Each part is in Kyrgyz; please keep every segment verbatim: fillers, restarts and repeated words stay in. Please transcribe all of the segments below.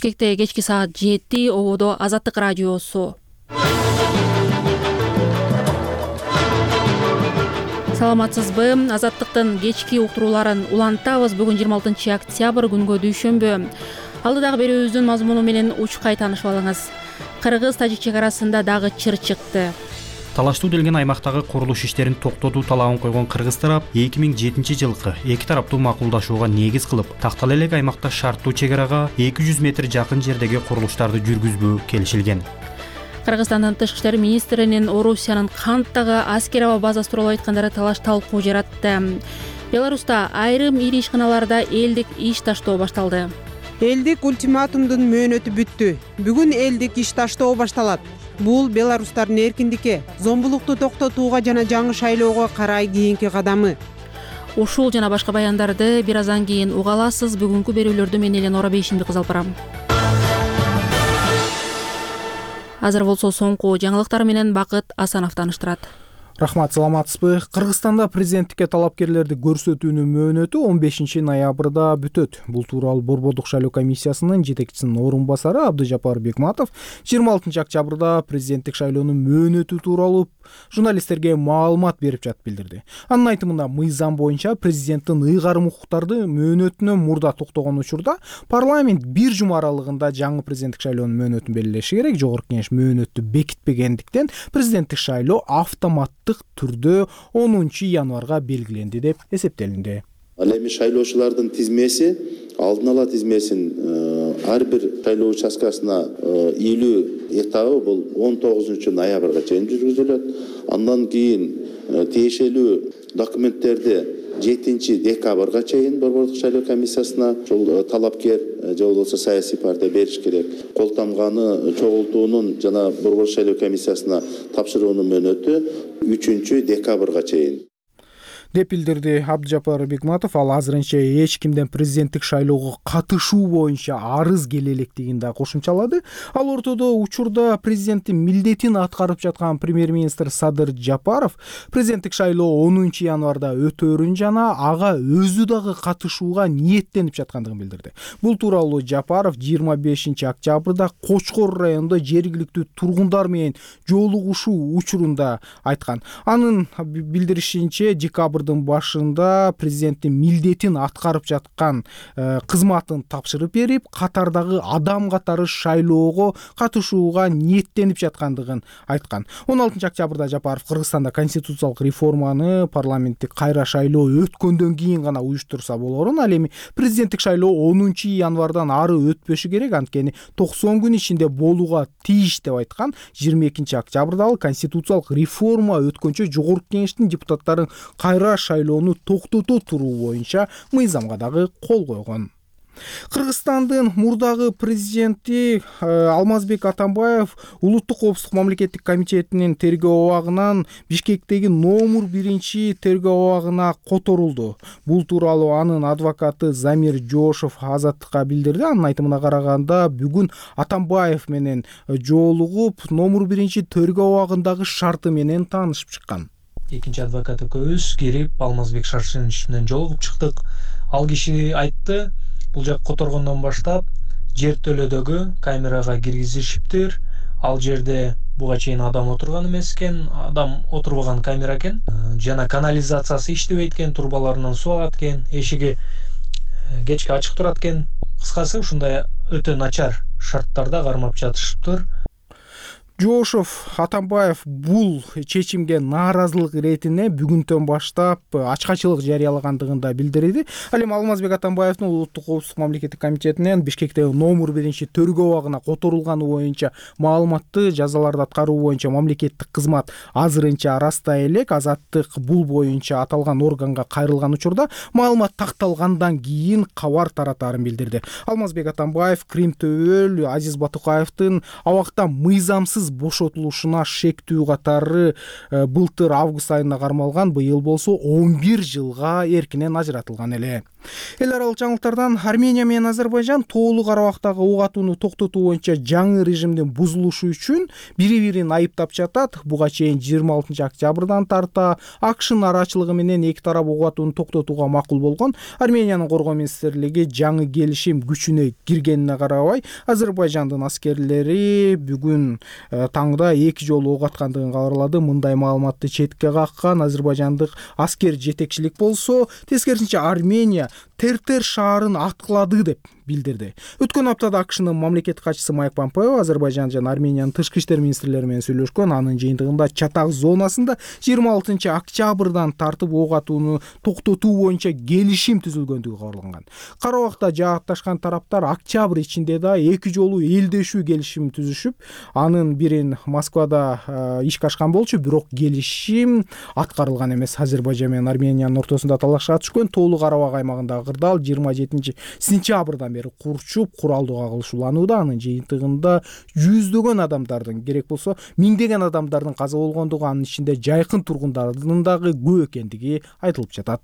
Бишкекте кечки саат жети, ободо Азаттык радиосу. Саламатсызбы? Азаттыктын кечки уктурууларын улантабыз. Бүгүн жыйырма алтынчы октябрь, күнгө дүйшөмбү. Алдыдагы берүүбүздүн мазмуну менен учкай таанышып алыңыз. Кыргыз-тажик чек арасында дагы чыр чыкты. Талаштуу делген аймактагы курулуш иштерин токтотуу талабын койгон кыргыз тарап эки миң жетинчи жылкы эки тараптуу макулдашууга негиз кылып, тактала элек аймакта шарттуу чек арага эки жүз метр жакын жердеги курулуштарды жүргүзбөө келишилген. Кыргызстандын тышкы иштер министринин Орусиянын Канттагы аскер аба базасы тууралуу айткандары талаш талкуу жаратты. Беларуста айрым ири ишканаларда элдик иш таштоо башталды. Элдик ультиматумдун мөөнөтү бүттү. Бүгүн элдик иш таштоо башталат. Бул беларустардын эркиндикке, зомбулукту токтотууга жана жаңы шайлоого карай кийинки кадамы. Ушул жана башка баяндарды бир аздан кийин уга аласыз. Бүгүнкү берүүлөрдү мен Елена Орабейшинди кызалып барам. Азыр болсо соңку жаңылыктар менен Бакыт Асанов тааныштырат. Рахмат, саламатсызбы? Кыргызстанда президенттикке талапкерлерди көрсөтүүнүн мөөнөтү он бешинчи ноябрда бүтөт. Бул тууралуу Борбордук шайлоо комиссиясынын жетекчисинин орун басары Абдыжапар Бекматов жыйырма алтынчы октябрда президенттик шайлоонун мөөнөтү тууралуу журналисттерге маалымат берип жатып билдирди. Анын айтымында, мыйзам боюнча президенттин ыйгарым укуктарды мөөнөтүнөн мурда токтогон учурда парламент бир жума аралыгында жаңы президенттик шайлоонун мөөнөтүн белгилеши керек. Жогорку кеңеш мөөнөттү бекитпегендиктен президенттик шайлоо автоматтык түрдө онунчу январга белгиленди деп эсептелинди. Ал эми шайлоочулардын тизмеси, алдын ала тизмесин ар бир шайлоо участкасына илүү этабы бул он тогузунчу ноябрга чейин жүргүзүлөт. Андан кийин тиешелүү документтерди жетинчи декабрга чейин Борбордук шайлоо комиссиясына ушул талапкер же болбосо саясий партия бериш керек. Кол тамганы чогултуунун жана Борбордук шайлоо комиссиясына тапшыруунун мөөнөтү үчүнчү декабрга чейин деп билдирди Абдыжапар Бекматов. Ал азырынча эч кимден президенттик шайлоого катышуу боюнча арыз келе электигин да кошумчалады. Ал ортодо учурда президенттин милдетин аткарып жаткан премьер-министр Садыр Жапаров президенттик шайлоо онунчу январда өтөөрүн жана ага өзү дагы катышууга ниеттенип жаткандыгын билдирди. Бул тууралуу Жапаров жыйырма бешинчи октябрда Кочкор районунда жергиликтүү тургундар менен жолугушуу учурунда айткан. Анын билдиришинче, декабрдын башында президенттин милдетин аткарып жаткан кызматын тапшырып берип, катардагы адам катары шайлоого катышууга ниеттенип жаткандыгын айткан. он алтынчы октябрда Жапаров Кыргызстанда конституциялык реформаны парламенттик кайра шайлоо өткөндөн кийин гана уюштурса болорун, ал эми президенттик шайлоо онунчу январдан ары өтпөшү керек, анткени токсон күн ичинде болууга тийиш деп айткан. жыйырма экинчи октябрда ал конституциялык реформа өткөнчө жогорку кеңештин депутаттарын кайра шайлоону токтото туруу боюнча мыйзамга дагы кол койгон. Кыргызстандын мурдагы президенти Алмазбек Атамбаев Улуттук коопсуздук мамлекеттик комитетинин тергөө абагынан Бишкектеги номер биринчи тергөө абагына которулду. Бул тууралуу анын адвокаты Замир Жошов Азаттыкка билдирди. Анын айтымына караганда, бүгүн Атамбаев менен жолугуп, номер биринчи тергөө абагындагы шарты менен таанышып чыккан. Экинчи адвокат экөөбүз кирип Алмазбек Шаршенович менен жолугуп чыктык. Ал киши айтты, бул жак которгондон баштап жер төлөдөгү камерага киргизишиптир. Ал жерде буга чейин адам отурган эмес экен, адам отурбаган камера экен. Жана канализациясы иштебейт экен, турбаларынан суу агат экен, эшиги кечке ачык турат экен. Кыскасы, ушундай өтө начар шарттарда кармап жатышыптыр. Жошов Атамбаев бул чечимге нааразылык иретине бүгүндөн баштап ачкачылык жарыялагандыгын да билдирди. Ал эми Алмазбек Атамбаевдин Улуттук коопсуздук мамлекеттик комитетинен Бишкектеги номер биринчи тергөө абагына которулганы боюнча маалыматты жазаларды аткаруу боюнча мамлекеттик кызмат азырынча растай элек. Азаттык бул боюнча аталган органга кайрылган учурда маалымат такталгандан кийин кабар таратаарын билдирди. Алмазбек Атамбаев Крим Төбөл Азиз Батукаевдин абактан мыйзамсыз бошотулушуна шектүү катары былтыр август айында кармалган, быйыл болсо он бир жылга эркинен ажыратылган эле. Эл аралык жаңылыктардан Армения менен Азербайжан тоолуу Карабактагы ок атууну токтотуу боюнча жаңы режимдин бузулушу үчүн бири-бирин айыптап жатат. Буга чейин жыйырма алтынчы октябрдан тарта АКШнын арачылыгы менен эки тарап ок атууну токтотууга макул болгон. Армениянын коргоо министрлиги жаңы келишим күчүнө киргенине карабай, Азербайжандын аскерлери бүгүн таңда эки жолу ок аткандыгын кабарлады. Мындай маалыматты четке каккан азербайжандык аскер жетекчилик болсо, тескерисинче Армения Тертер шаарын аткылады деп билдирди. Өткөн аптада АКШнын мамлекеттик катчысы Майк Помпео Азербайжан жана Армениянын тышкы иштер министрлери менен сүйлөшкөн. Анын жыйынтыгында Чатак зонасында жыйырма алтынчы октябрдан тартып ок атууну токтотуу боюнча келишим түзүлгөндүгү кабарланган. Карабакта жаатташкан тараптар октябрь ичинде да эки жолу элдешүү келишим түзүшүп, анын бирин Москвада ишке ашкан болчу, бирок келишим аткарылган эмес. Азербайжан менен Армениянын ортосунда талашка түшкөн тоолуу Карабак аймагындагы кырдаал жыйырма жетинчи сентябрдан бери курчуп, куралдуу кагылышууланууда. Анын жыйынтыгында жүздөгөн адамдардын, керек болсо миңдеген адамдардын каза болгондугу, анын ичинде жайкын тургундардын дагы көп экендиги айтылып жатат.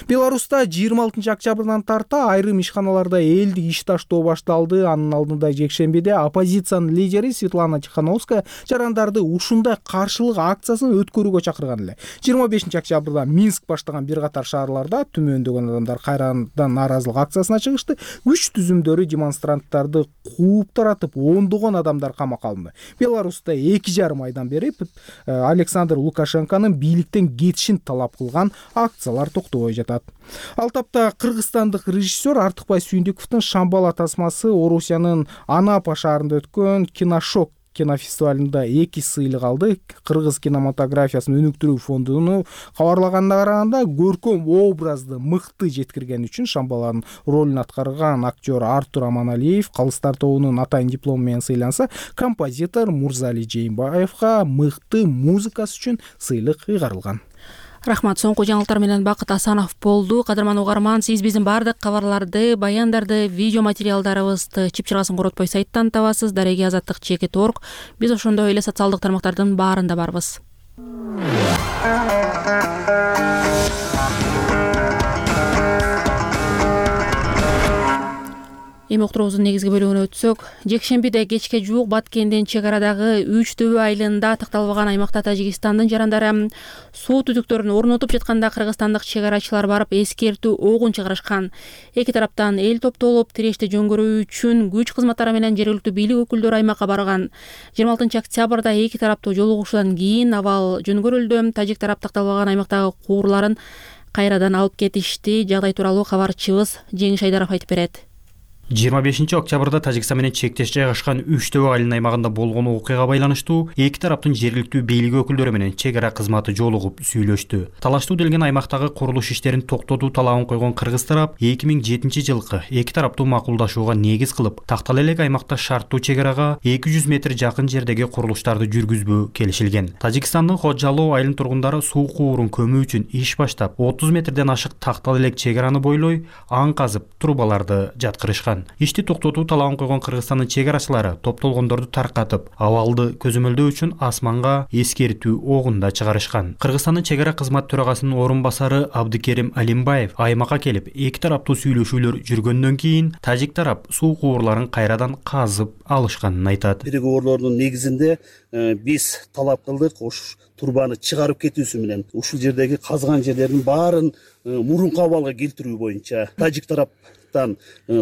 Беларуста жыйырма алтынчы октябрдан тарта айрым ишканаларда элдик иш таштоо башталды. Анын алдында жекшембиде оппозициянын лидери Светлана Тихановская жарандарды ушундай каршылык акциясын өткөрүүгө чакырган эле. жыйырма бешинчи октябрда Минск баштаган бир катар шаарларда түмөндөгөн адамдар кайрадан нааразылык акциясына чыгышты. Күч түзүмдөрү демонстранттарды кууп таратып, ондогон адамдар камакка алынды. Беларуста эки жарым айдан бери Александр Лукашенконун бийликтен кетишин талап кылган акциялар токтобой жатат. Ал тапта кыргызстандык режиссер Артыкбай Сүйүндүковдун Шамбала тасмасы Орусиянын Анапа шаарында өткөн Киношок кинофестивалында эки сыйлык алды. Кыргыз кинематографиясын өнүктүрүү фондуну кабарлаганына караганда, көркөм образды мыкты жеткирген үчүн Шамбаланын ролун аткарган актер Артур Аманалиев Калыстар тобунун атайын диплому менен сыйланса, композитор Мурзали Жээнбаевга мыкты музыкасы үчүн сыйлык ыйгарылган. Рахмат. Соңку жаңылыктар менен Бакыт Асанов болду. Кадырман угарман, сиз биздин баардык кабарларды, баяндарды, видео материалдарыбызды чыпчыгасын коротпой сайттан табасыз. Дареги азаттык чекит точка орг. Биз ошондой эле социалдык тармактардын баарында барбыз. Эми уктуруубуздун негизги бөлүгүнө өтсөк, жекшембиде кечке жуук Баткендин чек арадагы Үч Төбө айылында такталбаган аймакта Тажикстандын жарандары суу түтүктөрүн орнотуп жатканда кыргызстандык чек арачылар барып эскертүү огун чыгарышкан. Эки тараптан эл топтолуп, тирешти жөнгөрүү үчүн күч кызматтары менен жергиликтүү бийлик өкүлдөрү аймакка барган. жыйырма алтынчы октябрда эки тараптуу жолугушуудан кийин абал жөнгөрүлдү. Тажик тарап такталбаган аймактагы куурларын кайрадан алып кетишти. Жагдай тууралуу кабарчыбыз Жеңиш Айдаров айтып берет. жыйырма бешинчи октябрда Тажикстан менен чектеш жайгашкан Үч Төбө айылынын аймагында болгон окуяга байланыштуу эки тараптын жергиликтүү бийлик өкүлдөрү менен чек ара кызматы жолугуп сүйлөштү. Талаштуу делген аймактагы курулуш иштерин токтотуу талабын койгон кыргыз тарап эки миң жетинчи жылкы эки тараптуу макулдашууга негиз кылып, тактала элек аймакта шарттуу чек арага эки жүз метр жакын жердеги курулуштарды жүргүзбөө келишилген. Тажикстандын Ходжалоо айылынын тургундары суу куурун көмүү үчүн иш баштап, отуз метрден ашык тактала элек чек араны бойлой аң казып, трубаларды жаткырышкан. Ишти токтотуу талабын койгон Кыргызстандын чек арачылары топтолгондорду таркатып, абалды көзөмөлдөө үчүн асманга эскертүү огунда чыгарышкан. Кыргызстандын чек ара кызмат төрагасынын орун басары Абдыкерим Алимбаев аймакка келип, эки тараптуу сүйлөшүүлөр жүргөндөн кийин тажик тарап суу куурларын кайрадан казып алышканын айтат. Переговордордун негизинде биз талап кылдык, ош турбаны чыгарып кетүүсү менен ушул жердеги казган жерлердин баарын мурунку абалга келтирүү боюнча тажик тараптан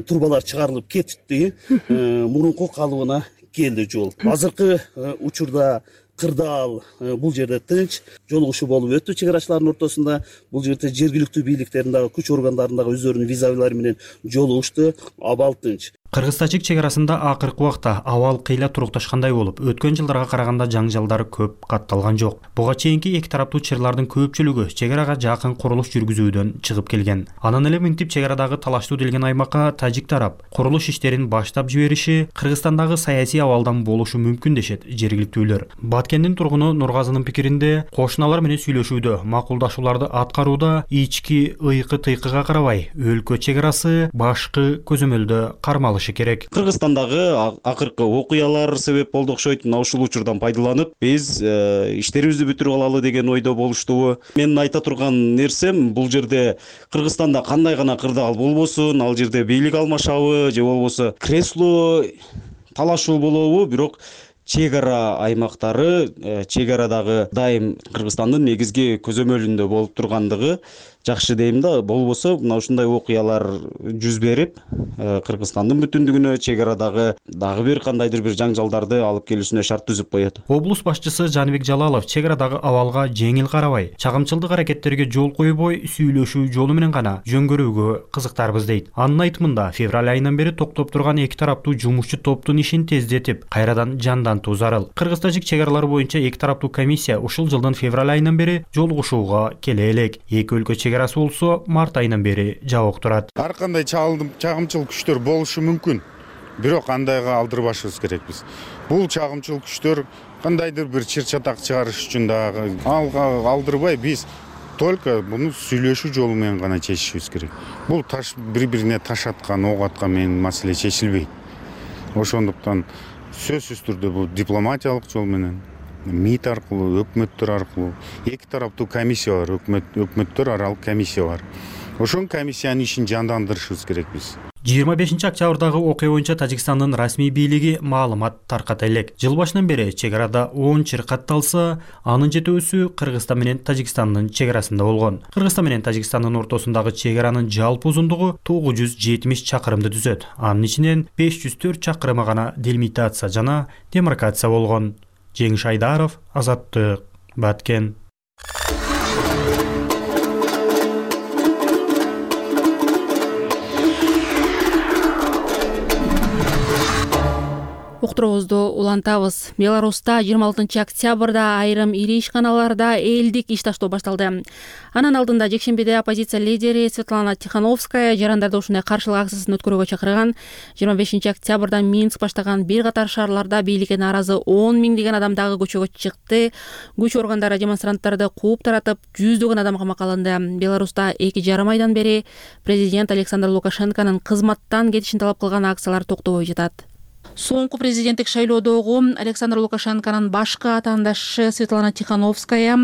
турбалар чыгарылып кетти, мурунку калыбына келди жол. Азыркы учурда кырдаал бул жерде тынч, жолугушуу болуп өттү чек арачылардын ортосунда. Бул жерде жергиликтүү бийликтердин дагы күч органдарындагы өздөрүнүн визавилери менен жолугушту, абал тынч. Кыргыз-тажик чек арасында акыркы убакта абал кыйла турукташкандай болуп, өткөн жылдарга караганда жаңжалдар көп катталган жок. Буга чейинки эки тараптуу чырлардын көпчүлүгү чек арага жакын курулуш жүргүзүүдөн чыгып келген. Анан эле мынтип чек арадагы талаштуу делген аймакка тажик тарап курулуш иштерин баштап жибериши Кыргызстандагы саясий абалдан болушу мүмкүн дешет жергиликтүүлөр. Баткендин тургуну Нургазынын пикиринде, кошуналар менен сүйлөшүүдө, макулдашууларды аткарууда ички ыйкы-тыйкыга карабай, өлкө чек арасы башкы көзөмөлдө кармалышы чыгышы керек. Кыргызстандагы акыркы окуялар себеп болду окшойт. Мына ушул учурдан пайдаланып биз иштерибизди бүтүрүп алалы деген ойдо болуштубу. Менин айта турган нерсем, бул жерде Кыргызстанда кандай гана кырдаал болбосун, ал жерде бийлик алмашабы же болбосо кресло талашуу болобу, бирок чек ара аймактары, чек арадагы дайым Кыргызстандын негизги көзөмөлүндө болуп тургандыгы жакшы дейм да. Болбосо мына ушундай окуялар жүз берип, Кыргызстандын бүтүндүгүнө, чек арадагы дагы бир кандайдыр бир жаңжалдарды алып келүүсүнө шарт түзүп коет. Облус башчысы Жаныбек Жалалов чек арадагы абалга жеңил карабай, чагымчылдык аракеттерге жол койбой, сүйлөшүү жолу менен гана жөнгөрүүгө кызыктарбыз дейт. Анын айтымында, февраль айынан бери токтоп турган эки тараптуу жумушчу топтун ишин тездетип, кайрадан жандантуу зарыл. Кыргыз-тажик чек аралары боюнча эки тараптуу комиссия ушул жылдын февраль айынан бери жолугушууга келе элек. Эки өлкө чек арасы болсо март айынан бери жабык турат. Ар кандай чагымчыл күчтөр болушу мүмкүн, бирок андайга алдырбашыбыз керекпиз. Бул чагымчыл күчтөр кандайдыр бир чыр-чатак чыгарыш үчүн дагы алдырбай, биз только буну сүйлөшүү жолу менен гана чечишибиз керек. Бул таш бири-бирине таш аткан, ок аткан менен маселе чечилбейт. Ошондуктан сөзсүз түрдө бул дипломатиялык жол менен, МИД аркылуу, өкмөттөр аркылуу, эки тараптуу комиссия бар, өкмөт өкмөттөр аралык комиссия бар. Ошол комиссиянын ишин жандандырышыбыз керек биз. жыйырма бешинчи октябрдагы окуя боюнча Тажикстандын расмий бийлиги маалымат тарката элек. Жыл башынан бери чек арада он чыр катталса, анын жетөөсү Кыргызстан менен Тажикстандын чек арасында болгон. Кыргызстан менен Тажикстандын ортосундагы чек аранын жалпы узундугу тогуз жүз жетимиш чакырымды түзөт. Анын ичинен беш жүз төрт чакырымы гана делимитация жана демаркация болгон. Жеңиш Айдаров, Азаттык, Баткен. Уктуруубузду улантабыз. Беларуста жыйырма алтынчы октябрда айрым ири ишканаларда элдик иш таштоо башталды. Анын алдында жекшембиде оппозиция лидери Светлана Тихановская жарандарды ушундай каршылык акциясын өткөрүүгө чакырган. жыйырма бешинчи октябрда Минск баштаган бир катар шаарларда бийликке нааразы он миңдеген адам дагы көчөгө чыкты. Күч органдары демонстранттарды кууп таратып, жүздөгөн адам камакка алынды. Беларуста эки жарым айдан бери президент Александр Лукашенконун кызматтан кетишин талап кылган акциялар токтобой жатат. Соңку президенттик шайлоодогу Александр Лукашенконун башкы атаандашы Светлана Тихановская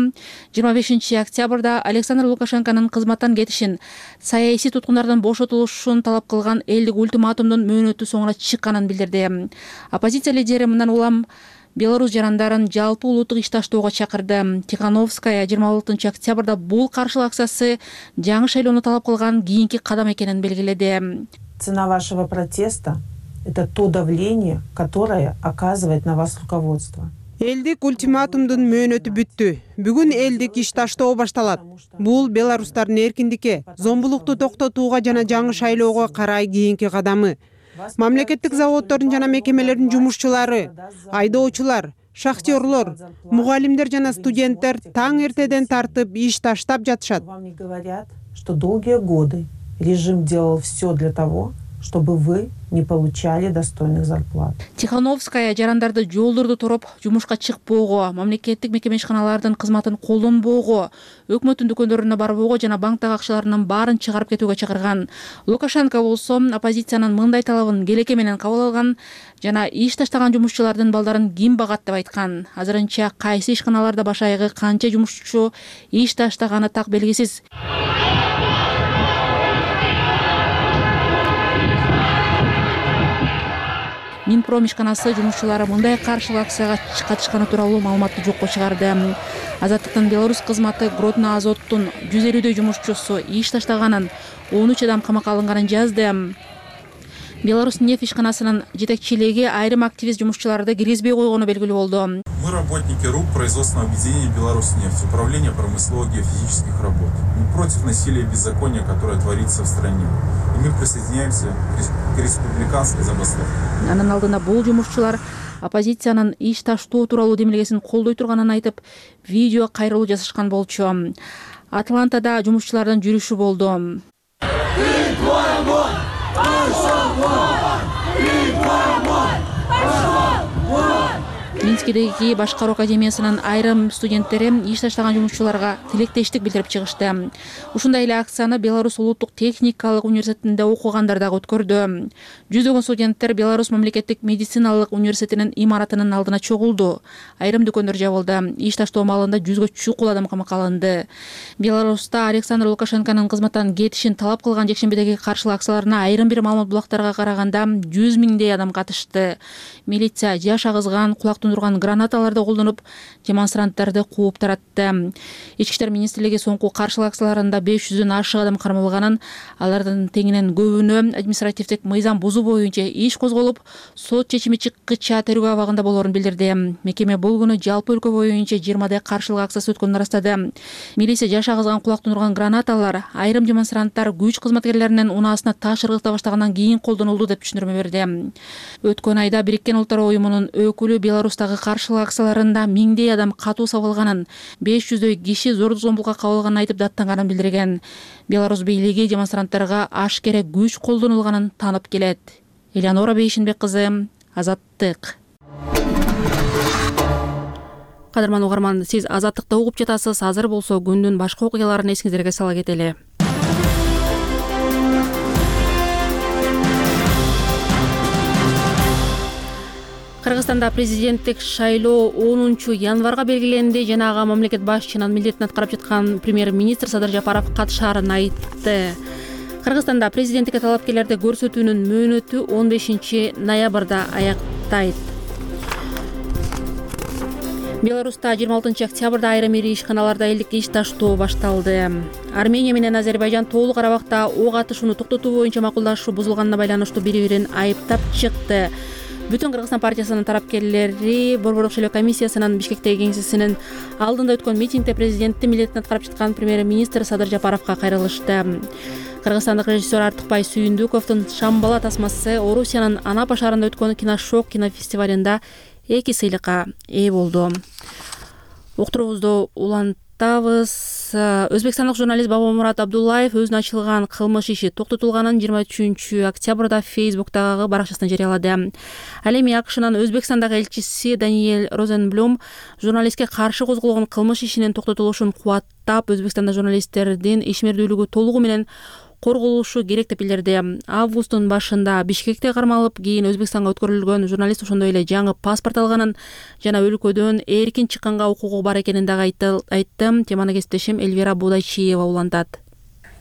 жыйырма бешинчи октябрда Александр Лукашенконун кызматтан кетишин, саясий туткундардын бошотулушун талап кылган элдик ультиматумдун мөөнөтү соңуна чыкканын билдирди. Оппозиция лидери мындан улам Беларусь жарандарын жалпы улуттук иш таштоого чакырды. Тихановская жыйырма алтынчы октябрда бул каршылык акциясы жаңы шайлоону талап кылган кийинки кадам экенин белгиледи. Цена вашего протеста — это то давление, которое оказывает на вас руководство. Элдик ультиматумдун мөөнөтү бүттү. Бүгүн элдик иш таштоо башталат. Бул беларустардын эркиндикке, зомбулукту токтотууга жана жаңы шайлоого карай кийинки кадамы. Мамлекеттик заводдордун жана мекемелердин жумушчулары, айдоочулар, шахтерлор, мугалимдер жана студенттер таң эртеден тартып иш таштап жатышат. Вам не говорят, что долгие годы режим делал все для того, чтобы вы не получали достойных зарплат. Тихановская жарандарды жолдорду тороп, жумушка чыкпоого, мамлекеттик мекеме ишканалардын кызматын колдонбоого, өкмөттүн дүкөндөрүнө барбоого жана банктагы акчаларынын баарын чыгарып кетүүгө чакырган. Лукашенко болсо оппозициянын мындай талабын келеке менен кабыл алган жана иш таштаган жумушчулардын балдарын ким багат деп айткан. Азырынча кайсы ишканаларда баш айгы канча жумушчу иш таштаганы так белгисиз. Минпром ишканасы жумушчулары мындай каршылык акцияга катышканы тууралуу маалыматты жокко чыгарды. Азаттыктын Беларусь кызматы Гродно Азоттун жүз элүүдөй жумушчусу иш таштаганын, он үч адам камакка алынганын жазды. Беларусь нефть ишканасынын жетекчилиги айрым активист жумушчуларды киргизбей койгону белгилүү болду. Мы работники РУП производственного объединения «Беларусь-нефть», управления промысловых геофизических работ. Мы против насилия и беззакония, которое творится в стране. И мы присоединяемся к республиканской забастовке. Анын алдында бул жумушчулар оппозициянын иш таштоо тууралуу демилгесин колдой турганын айтып, видео кайрылуу жасашкан болчу. Атлантада жумушчулардын жүрүшү болду. Минскидеги башкаруу академиясынын айрым студенттери иш таштаган жумушчуларга тилектештик билдирип чыгышты. Ушундай эле акцияны Беларусь улуттук техникалык университетинде окугандар дагы өткөрдү. Жүздөгөн студенттер Беларусь мамлекеттик медициналык университетинин имаратынын алдына чогулду. Айрым дүкөндөр жабылды. Иш таштоо маалында жүзгө чукул адам камакка алынды. Беларуста Александр Лукашенконун кызматтан кетишин талап кылган жекшембидеги каршылык акцияларына айрым бир маалымат булактарга караганда жүз миңдей адам катышты. Милиция жаш агызган, кулак тундурган гранаталарды колдонуп, демонстранттарды кууп таратты. Ички иштер министрлиги соңку каршылык акцияларында беш жүздөн ашык адам кармалганын, алардын теңинен көбүнө административдик мыйзам бузуу боюнча иш козголуп, сот чечими чыккыча тергөө абагында болоорун билдирди. Мекеме бул күнү жалпы өлкө боюнча жыйырмадай каршылык акциясы өткөнүн ырастады. Милиция жаш агызган, кулак тундурган гранаталар айрым демонстранттар күч кызматкерлеринин унаасына таш ыргыта баштагандан кийин колдонулду деп түшүндүрмө берди. Өткөн айда Бириккен Улуттар уюмунун өкүлү Беларустагы каршылык акцияларында миңдей адам катуу сабылганын, беш жүздөй киши зордук зомбулукка кабылганын айтып даттанганын билдирген. Беларусь бийлиги демонстранттарга ашкере күч колдонулганын таанып келет. Элеонора Бейшинбек кызы, Азаттык. Кадырман угарман, сиз Азаттыкты угуп жатасыз. Азыр болсо күндүн башка окуяларын эсиңиздерге сала кетели. Кыргызстанда президенттик шайлоо онунчу январга белгиленди. Жана ага мамлекет башчынын милдетин аткарып жаткан премьер-министр Садыр Жапаров катышаарын айтты. Кыргызстанда президенттикке талапкерлерди көрсөтүүнүн мөөнөтү он бешинчи ноябрда аяктайт. Беларуста жыйырма алтынчы октябрда айрым ири ишканаларда элдик иш таштоо башталды. Армения менен Азербайжан Тоолуу Карабакта ок атышууну токтотуу боюнча макулдашуу бузулганына байланыштуу бири-бирин айыптап чыкты. Бүтүн Кыргызстан партиясынын тарапкерлери Борбордук шайлоо комиссиясынын Бишкектеги кеңсесинин алдында өткөн митингде президенттин милдетин аткарып жаткан премьер-министр Садыр Жапаровго кайрылышты. Кыргызстандык режиссер Артыкбай Сүйүндүковдун Шамбала тасмасы Орусиянын Анапа шаарында өткөн киношок кинофестивалында эки сыйлыкка ээ болду. Уктуруубузду улантабыз. Өзбекстандык журналист Бабамурат Абдуллаев өзүнө ачылган кылмыш иши токтотулганын жыйырма үчүнчү октябрда Фейсбуктагы баракчасында жарыялады. Ал эми АКШнын Өзбекстандагы элчиси Даниэль Розенблюм журналистке каршы козголгон кылмыш ишинин токтотулушун кубаттап, Өзбекстанда журналисттердин ишмердүүлүгү толугу менен корголушу керек деп билдирди. Августтун башында Бишкекте кармалып, кийин Өзбекстанга өткөрүлгөн журналист ошондой эле жаңы паспорт алганын жана өлкөдөн эркин чыкканга укугу бар экенин дагы айтты. Теманы кесиптешим Эльвира Будайчиева улантат.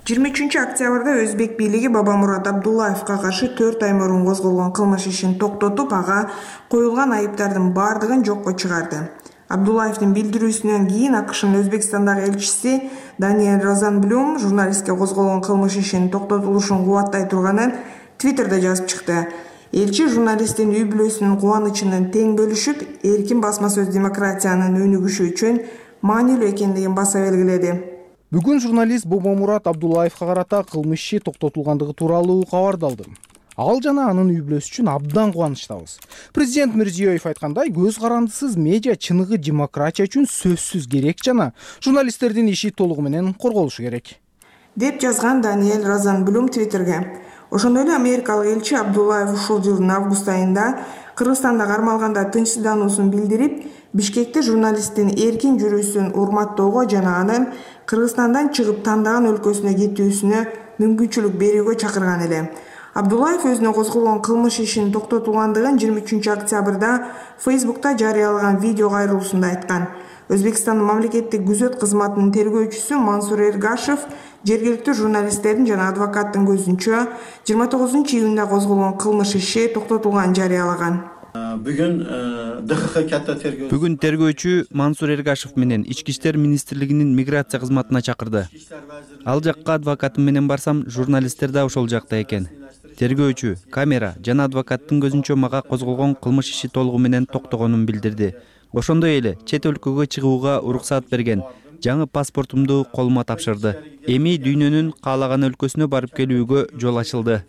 жыйырма үчүнчү октябрда Өзбек бийлиги Бабамурат Абдуллаевга каршы төрт ай мурун козголгон кылмыш ишин токтотуп, ага коюлган айыптардын бардыгын жокко чыгарды. Абдуллаевдин билдирүүсүнөн кийин АКШнын Өзбекстандагы элчиси Даниэль Розенблюм журналистке козголгон кылмыш ишинин токтотулушун кубаттай турганын Твиттерде жазып чыкты. Элчи журналисттин үй бүлөсүнүн кубанычынын тең бөлүшүп, эркин басма сөз демократиянын өнүгүшү үчүн маанилүү экендигин баса белгиледи. Бүгүн журналист Бабамурат Абдуллаевга карата кылмыш иши токтотулгандыгы тууралуу кабарды алды. Ал жана анын үй бүлөсү үчүн абдан кубанычтабыз. Президент Мирзиёев айткандай, көз карандысыз медиа чыныгы демократия үчүн сөзсүз керек жана журналисттердин иши толугу менен корголушу керек, деп жазган Даниэль Розенблюм Твиттерге. Ошондой эле америкалык элчи Абдуллаев ушул жылдын август айында Кыргызстанда кармалганда тынчсыздануусун билдирип, Бишкекте журналисттин эркин жүрүүсүн урматтоого жана анын Кыргызстандан чыгып тандаган өлкөсүнө кетүүсүнө мүмкүнчүлүк берүүгө чакырган эле. Абдуллаев өзүнө козголгон кылмыш ишин токтотулгандыгын жыйырма үчүнчү октябрда Фейсбукта жарыялаган видео кайрылуусунда айткан. Өзбекстандын мамлекеттик күзөт кызматынын тергөөчүсү Мансур Эргашев жергиликтүү журналисттердин жана адвокаттын көзүнчө жыйырма тогузунчу июнда козголгон кылмыш иши токтотулганын жарыялаган. Бүгүн тергөөчү Мансур Эргашев менен Ички иштер министрлигинин миграция кызматына чакырды. Ал жакка адвокатым менен барсам, журналисттер да ошол жакта экен. Тергөөчү, камера жана адвокаттын көзүнчө мага козголгон кылмыш иши толугу менен токтогонун билдирди. Ошондой эле чет өлкөгө чыгууга уруксаат берген. Жаңы паспортумду колума тапшырды. Эми дүйнөнүн каалаган өлкөсүнө барып келүүгө жол ачылды,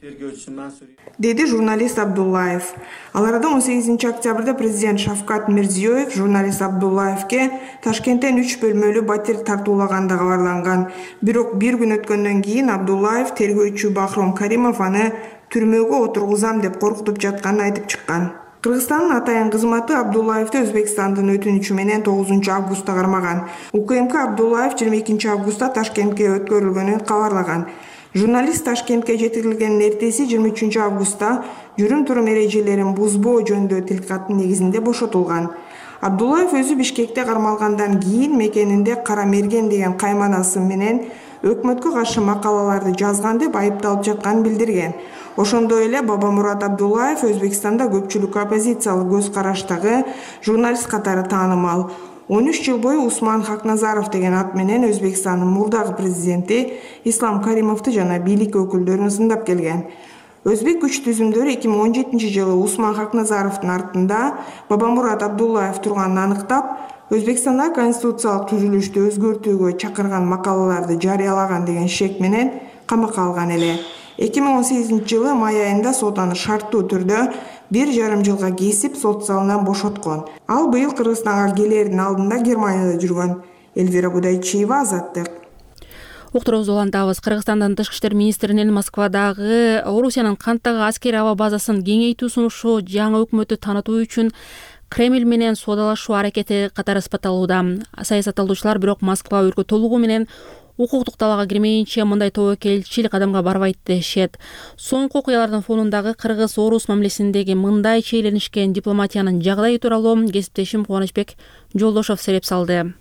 деди журналист Абдуллаев. Ал арада он сегизинчи октябрда президент Шавкат Мирзиёев журналист Абдуллаевке Ташкенттен үч бөлмөлүү батир тартуулаганы кабарланган. Бирок бир күн өткөндөн кийин Абдуллаев тергөөчү Бахром Каримов аны түрмөгө отургузам деп коркутуп жатканын айтып чыккан. Кыргызстандын атайын кызматы Абдуллаевди Өзбекстандын өтүнүчү менен тогузунчу августта кармаган. УКМК Абдуллаев жыйырма экинчи августта Ташкентке өткөрүлгөнүн кабарлаган. Журналист Ташкентке жеткирилгендин эртеси жыйырма үчүнчү августта жүрүм-турум эрежелерин бузбоо жөнүндө тилкаттын негизинде бошотулган. Абдуллаев өзү Бишкекте кармалгандан кийин мекенинде Кара Мерген деген кайманасы менен өкмөткө каршы макалаларды жазган деп айыпталып жатканын билдирген. Ошондой эле Бабамурат Абдуллаев Өзбекстанда көпчүлүккө оппозициялык көз караштагы журналист катары таанымал. он үч жыл бою Усман Хакназаров деген ат менен Өзбекстандын мурдагы президенти Ислам Каримовду жана бийлик өкүлдөрүн сындап келген. Өзбек күч түзүмдөрү эки миң он жетинчи жылы Усман Хакназаровдун артында Бабамурат Абдуллаев турганын аныктап, Өзбекстанда конституциялык түзүлүштү өзгөртүүгө чакырган макалаларды жарыялаган деген шек менен камакка алган эле. эки миң он сегизинчи жылы май айында сот аны шарттуу түрдө бир жарым жылга кесип сот залынан бошоткон. Ал быйыл Кыргызстанга келердин алдында Германияда жүргөн. Эльвира Будайчиева, Азаттык. Уктуруубузду улантабыз. Кыргызстандын тышкы иштер министринин Москвадагы Орусиянын Канттагы аскерий аба базасын кеңейтүү сунушу жаңы өкмөттү таанытуу үчүн Кремль менен соодалашуу аракети катары испатталууда. Саясатталуучулар бирок Москва өлкө толугу менен укуктук талаага кирмейинче мындай тобокелчил кадамга барбайт дешет. Соңку окуялардын фонундагы кыргыз-орус мамилесиндеги мындай чейленишкен дипломатиянын жагдайы тууралуу кесиптешим Кубанычбек Жолдошов сереп салды.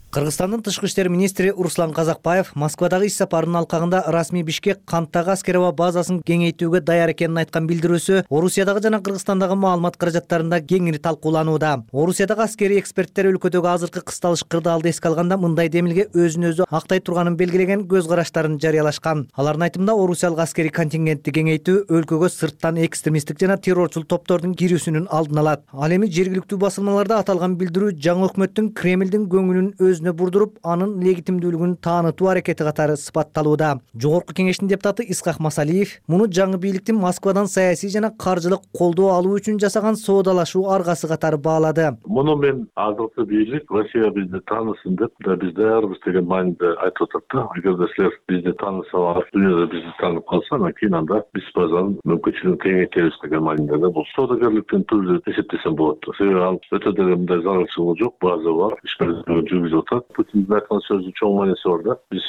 Кыргызстандын тышкы иштер министри Руслан Казакбаев Москвадагы иш сапарынын алкагында расмий Бишкек Канттагы аскерий аба базасын кеңейтүүгө даяр экенин айткан билдирүүсү Орусиядагы жана Кыргызстандагы маалымат каражаттарында кеңири талкууланууда. Орусиядагы аскерий эксперттер өлкөдөгү азыркы кысталыш кырдаалды эске алганда мындай демилге өзүн өзү актай турганын белгилеген көз караштарын жарыялашкан. Алардын айтымында Орусиялык аскерий контингентти кеңейтүү өлкөгө сырттан экстремисттик жана террорчул топтордун кирүүсүнүн алдын алат. Ал эми жергиликтүү басылмаларда аталган билдирүү жаңы өкмөттүн Кремлдин көңүлүн өзүнө бурдуруп, анын легитимдүүлүгүн таанытуу аракети катары сыпатталууда. Жогорку кеңештин депутаты Исхак Масалиев муну жаңы бийликтин Москвадан саясий жана каржылык колдоо алуу үчүн жасаган соодалашуу аргасы катары баалады. Муну мен азыркы бийлик Россия бизди таанысын деп да биз даярбыз деген мааниде айтып атат да. Эгерде силер бизди таанысалар, дүйнөдө бизди таанып калса, анан кийин анда биз базанын мүмкүнчүлүгүн кеңейтебиз деген мааниде да. Бул соодагерликтин түрү деп эсептесем болот. Себеби ал өтө деген мындай зарылчылыгы жок, база бар, иш менен жүргүзүп атат. Путиндин айткан сөзүнүн чоң мааниси бар да. Биз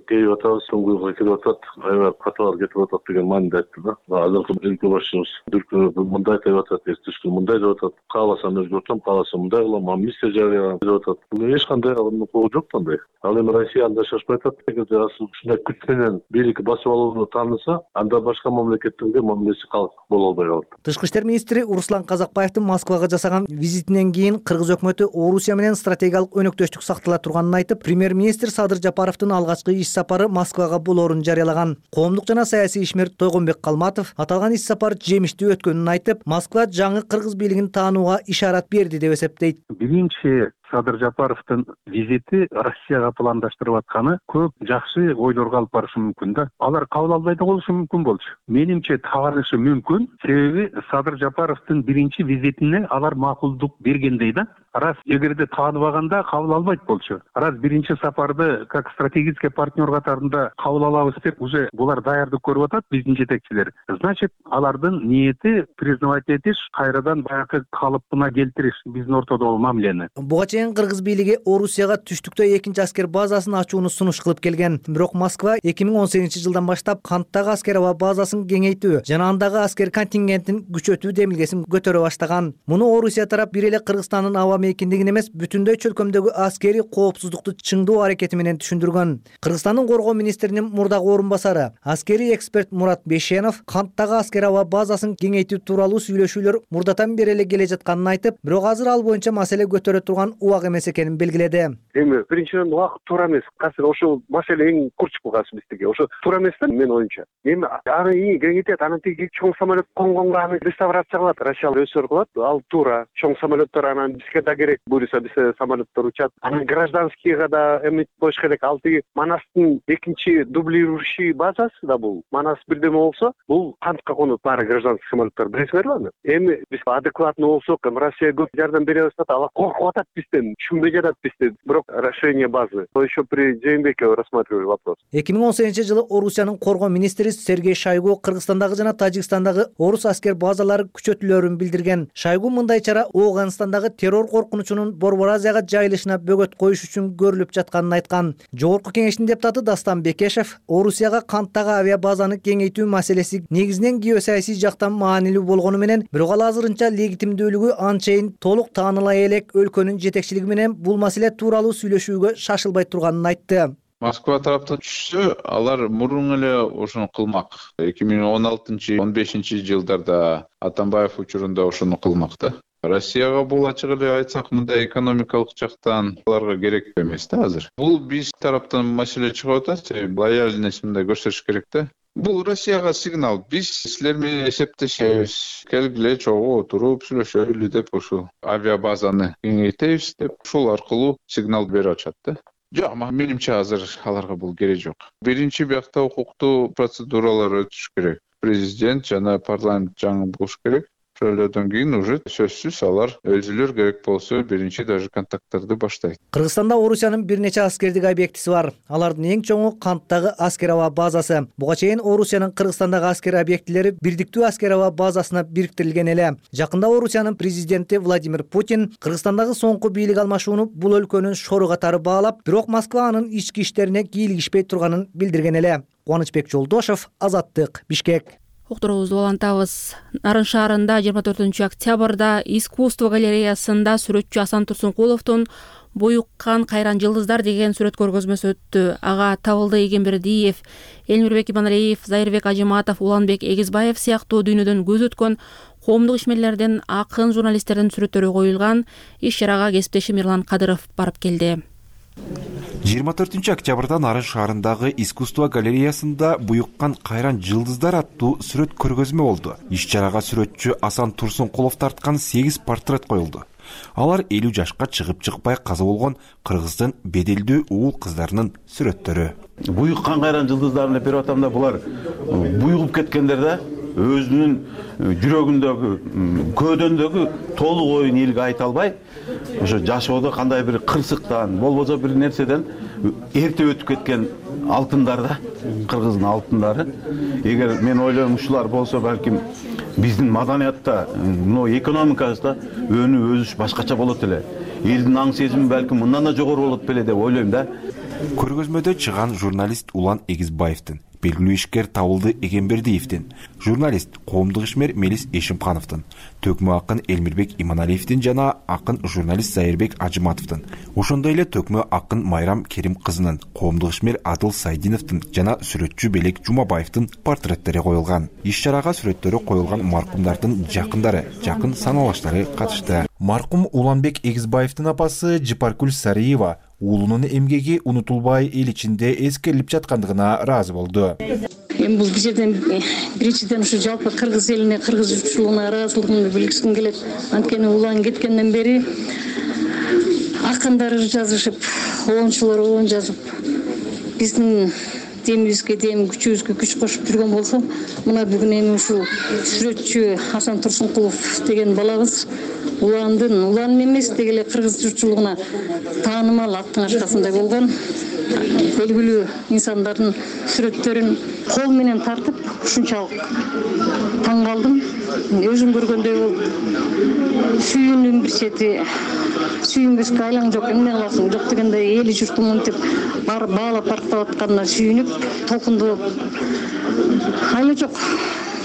кейип атабыз, соңгуйга келип атат, аябай каталар кетип атат деген мааниде айтты да. Азыркы өлкө башчыбыз дүркүрөп мындай деп атат, эртески мындай деп атат, кааласам өзгөртөм, кааласам мындай кылам, амнистия жарыялаган деп атат. Бул эч кандай укугу жок андай. Ал эми Россия анда шашпай атат. Эгерде ушундай күч менен бийликти басып алууну тааныса, анда башка мамлекеттерге мамилеси калк боло албай калат. Тышкы иштер министри Руслан Казакбаевдин Москвага жасаган визитинен кийин Кыргыз өкмөтү Орусия менен стратегиялык өнөктөштүк сактала турганын айтып, премьер-министр Садыр Жапаровдун алгачкы иш сапары Москвага болоорун жарыялаган. Коомдук жана саясий ишмер Тойгонбек Калматов аталган иш сапар жемиштүү өткөнүн айтып, Москва жаңы кыргыз бийлигин таанууга ишарат берди деп эсептейт. Биринчи Садыр Жапаровдун визити Россияга пландаштырып атканы көп жакшы ойлорго алып барышы мүмкүн да. Алар кабыл албай да болушу мүмкүн болчу. Менимче табанышы мүмкүн. Себеби Садыр Жапаровдун биринчи визитине алар макулдук бергендей да. Раз эгерде тааныбаганда кабыл албайт болчу. Раз биринчи сапарды как стратегический партнер катарында кабыл алабыз деп уже булар даярдык көрүп атат биздин жетекчилер. Значит, алардын ниети признавать этиш, кайрадан баягы калыпына келтириш биздин ортодогу мамилени. Буга чейин кыргыз бийлиги Орусияга түштүктө экинчи аскер базасын ачууну сунуш кылып келген. Бирок Москва эки миң он сегизинчи жылдан баштап Канттагы аскер аба базасын кеңейтүү жана андагы аскер контингентин күчөтүү демилгесин көтөрө баштаган. Муну Орусия тарап бир эле Кыргызстандын аба мейкиндигин эмес, бүтүндөй чөлкөмдөгү аскерий коопсуздукту чыңдоо аракети менен түшүндүргөн. Кыргызстандын коргоо министринин мурдагы орун басары, аскерий эксперт Мурат Бешенов Канттагы аскер аба базасын кеңейтүү тууралуу сүйлөшүүлөр мурдатан бери эле келе жатканын айтып, бирок азыр ал боюнча маселе көтөрө турган убак эмес экенин белгиледи. Эми биринчиден убакыт туура эмес. Кайсы ошол маселе эң курч булгасы бизге. Ошо туура эмес да менин оюмча. Эми аны ии кеңейтет, анан тиги чоң самолет конгонго аны реставрация кылат, Россия өсөр кылат. Ал туура. Чоң самолеттер анан бизге да керек. Буюрса биз самолеттер учат. Анан гражданскийга да эми коюш керек. Ал тиги Манастын экинчи дублирующий базасы да бул. Манас бирдеме болсо, бул Кантка конот баары гражданский самолеттер. Билесиңерби аны? Эми биз адекватный болсок, Россия көп жардам бере баштаса, алар коркуп атат бизде. Анткени түшүнбөй жатат бизде, бирок расширение базы. То еще при Жээнбекове рассматривали вопрос. эки миң он сегизинчи жылы Орусиянын коргоо министри Сергей Шойгу Кыргызстандагы жана Тажикстандагы орус аскер базалары күчөтүлөрүн билдирген. Шойгу мындай чара Ооганстандагы террор коркунучунун Борбор Азияга жайылышына бөгөт коюш үчүн көрүлүп жатканын айткан. Жогорку кеңештин депутаты Дастан Бекешев Орусияга Канттагы авиабазаны кеңейтүү маселеси негизинен геосаясий жактан маанилүү болгону менен, бирок ал азырынча легитимдүүлүгү анчейин толук тааныла элек өлкөнүн жетекчилиги менен бул маселе тууралуу сүйлөшүүгө шашылбай турганын айтты. Москва тараптан түшсө, алар мурун эле ошону кылмак. эки миң он алтынчы он бешинчи жылдарда Атамбаев учурунда ошону кылмак да. Россияга бул ачык эле айтсак, мындай экономикалык жактан аларга керек эмес да азыр. Бул биз тараптан маселе чыгып атат, лояльность мындай көрсөтүш керек да. Бул Россияга сигнал. Биз силер менен эсептешебиз. Келгиле чогуу отуруп сүйлөшөлү деп ошо авиабазаны кеңейтебиз деп ушул аркылуу сигнал берип атышат да. Жок, менимче азыр аларга бул керек жок. Биринчи биякта укуктуу процедуралар өтүш керек. Президент жана парламент жаңы болуш керек. Ошолордон кийин уже сөзсүз алар өзүлөр керек болсо биринчи даже контакттарды баштайт. Кыргызстанда Орусиянын бир нече аскердик объектиси бар. Алардын эң чоңу Канттагы аскер аба базасы. Буга чейин Орусиянын Кыргызстандагы аскер объектилери бирдиктүү аскер аба базасына бириктирилген эле. Жакында Орусиянын президенти Владимир Путин Кыргызстандагы соңку бийлик алмашууну бул өлкөнүн шору катары баалап, бирок Москва анын ички иштерине кийлигишпей турганын билдирген эле. Кубанычбек Жолдошев, Азаттык, Бишкек. Уктуруубузду улантабыз. Нарын шаарында жыйырма төртүнчү октябрда искусство галереясында сүрөтчү Асан Турсункуловдун «Буюккан кайран жылдыздар» деген сүрөт көргөзмөсү өттү. Ага Табылды Эгембердиев, Элмирбек Иманалиев, Зайырбек Ажыматов, Уланбек Эгизбаев сыяктуу дүйнөдөн көз өткөн коомдук ишмерлердин, акын, журналисттердин сүрөттөрү коюлган. Иш чарага кесиптешим Мирлан Кадыров барып келди. жыйырма төртүнчү октябрда Нарын шаарындагы искусство галереясында «Буюккан кайран жылдыздар» аттуу сүрөт көргөзмө болду. Иш чарага сүрөтчү Асан Турсункулов тарткан сегиз портрет коюлду. Алар элүү жашка чыгып чыкпай каза болгон Кыргыздын беделдүү уул кыздарынын сүрөттөрү. Буюккан кайран жылдыздарын деп берип атам да, булар буйгуп кеткендер да, өзүнүн жүрөгүндөгү, көөдөндөгү толук оюн элге айта албай, ошо жашоодо кандай бир кырсыктан, болбосо бир нерседен эрте өтүп кеткен алтындар да, Кыргыздын алтындары. Эгер мен ойлойм ушулар болсо, балким биздин маданиятта, мына экономикабызда өнү өсүш башкача болот эле. Элдин аң сезими балким мындан да жогору болот беле деп ойлойм да. Көргөзмөдө чыган журналист Улан Эгизбаевдин, белгилүү ишкер Табылды Эгембердиевдин, журналист коомдук ишмер Мелис Эшимхановдун, төкмө акын Элмирбек Иманалиевдин жана акын журналист Зайырбек Ажыматовдун, ошондой эле төкмө акын Майрам Керим кызынын, коомдук ишмер Адыл Сайдиновдун жана сүрөтчү Белек Жумабаевдин портреттери коюлган. Иш чарага сүрөттөрү коюлган маркумдардын жакындары, жакын саналаштары катышты. Маркум Уланбек Эгизбаевдин апасы Жыпаркүл Сариева уулунун эмгеги унутулбай эл ичинде эскерилип жаткандыгына ыраазы болду. Эми бул жерден биринчиден ушу жалпы кыргыз элине, кыргыз журтчулугуна ыраазычылыгымды билгиским келет. Анткени улан кеткенден бери акындар жазышып, оончулар оон жазып, биздин демибизге дем, күчүбүзгө күч кошуп жүргөн болсо, мына бүгүн эми ушул сүрөтчү Асан Турсункулов деген балабыз уландын, улан эмес деги эле кыргыз журтчулугуна таанымал аттын аркасында болгон белгилүү инсандардын сүрөттөрүн кол менен тартып, ушунчалык таң калдым. Өзүм көргөндөй болуп, сүйүүнүн бир чети, сүйүнбөскө айлаң жок, эмне кыласың, жок дегендей эли журтум мынтип барып баалап барктап атканына сүйүнүп, толкундуу айла жок.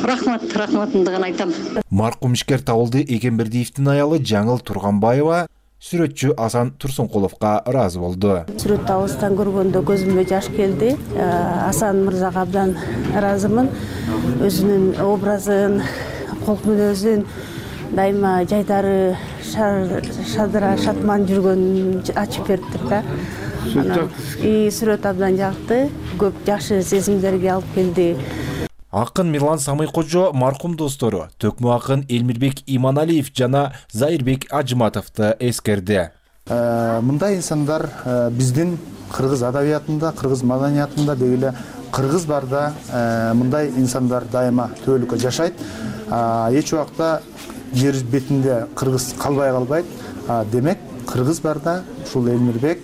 Рахмат, рахматымды гана айтам. Маркум ишкер Табылды Эгембердиевдин аялы Жаңыл Турганбаева сүрөтчү Асан Турсункуловго ыраазы болду. Сүрөттү алыстан көргөндө көзүмө жаш келди. Асан мырзага абдан ыраазымын. Өзүнүн образын, колк мүнөзүн дайыма жайдары шадыра шатман жүргөнүн ачып бериптир да. И сүрөт абдан жакты, көп жакшы сезимдерге алып келди. Акын Мирлан Самыйкожо маркум достору төкмө акын Элмирбек Иманалиев жана Зайырбек Ажыматовду эскерди. Мындай инсандар биздин кыргыз адабиятында, кыргыз маданиятында деги эле кыргыз барда мындай инсандар дайыма төөлүккө жашайт. Эч убакта жер бетинде кыргыз калбай калбайт. Демек, кыргыз барда, ушул Элмирбек,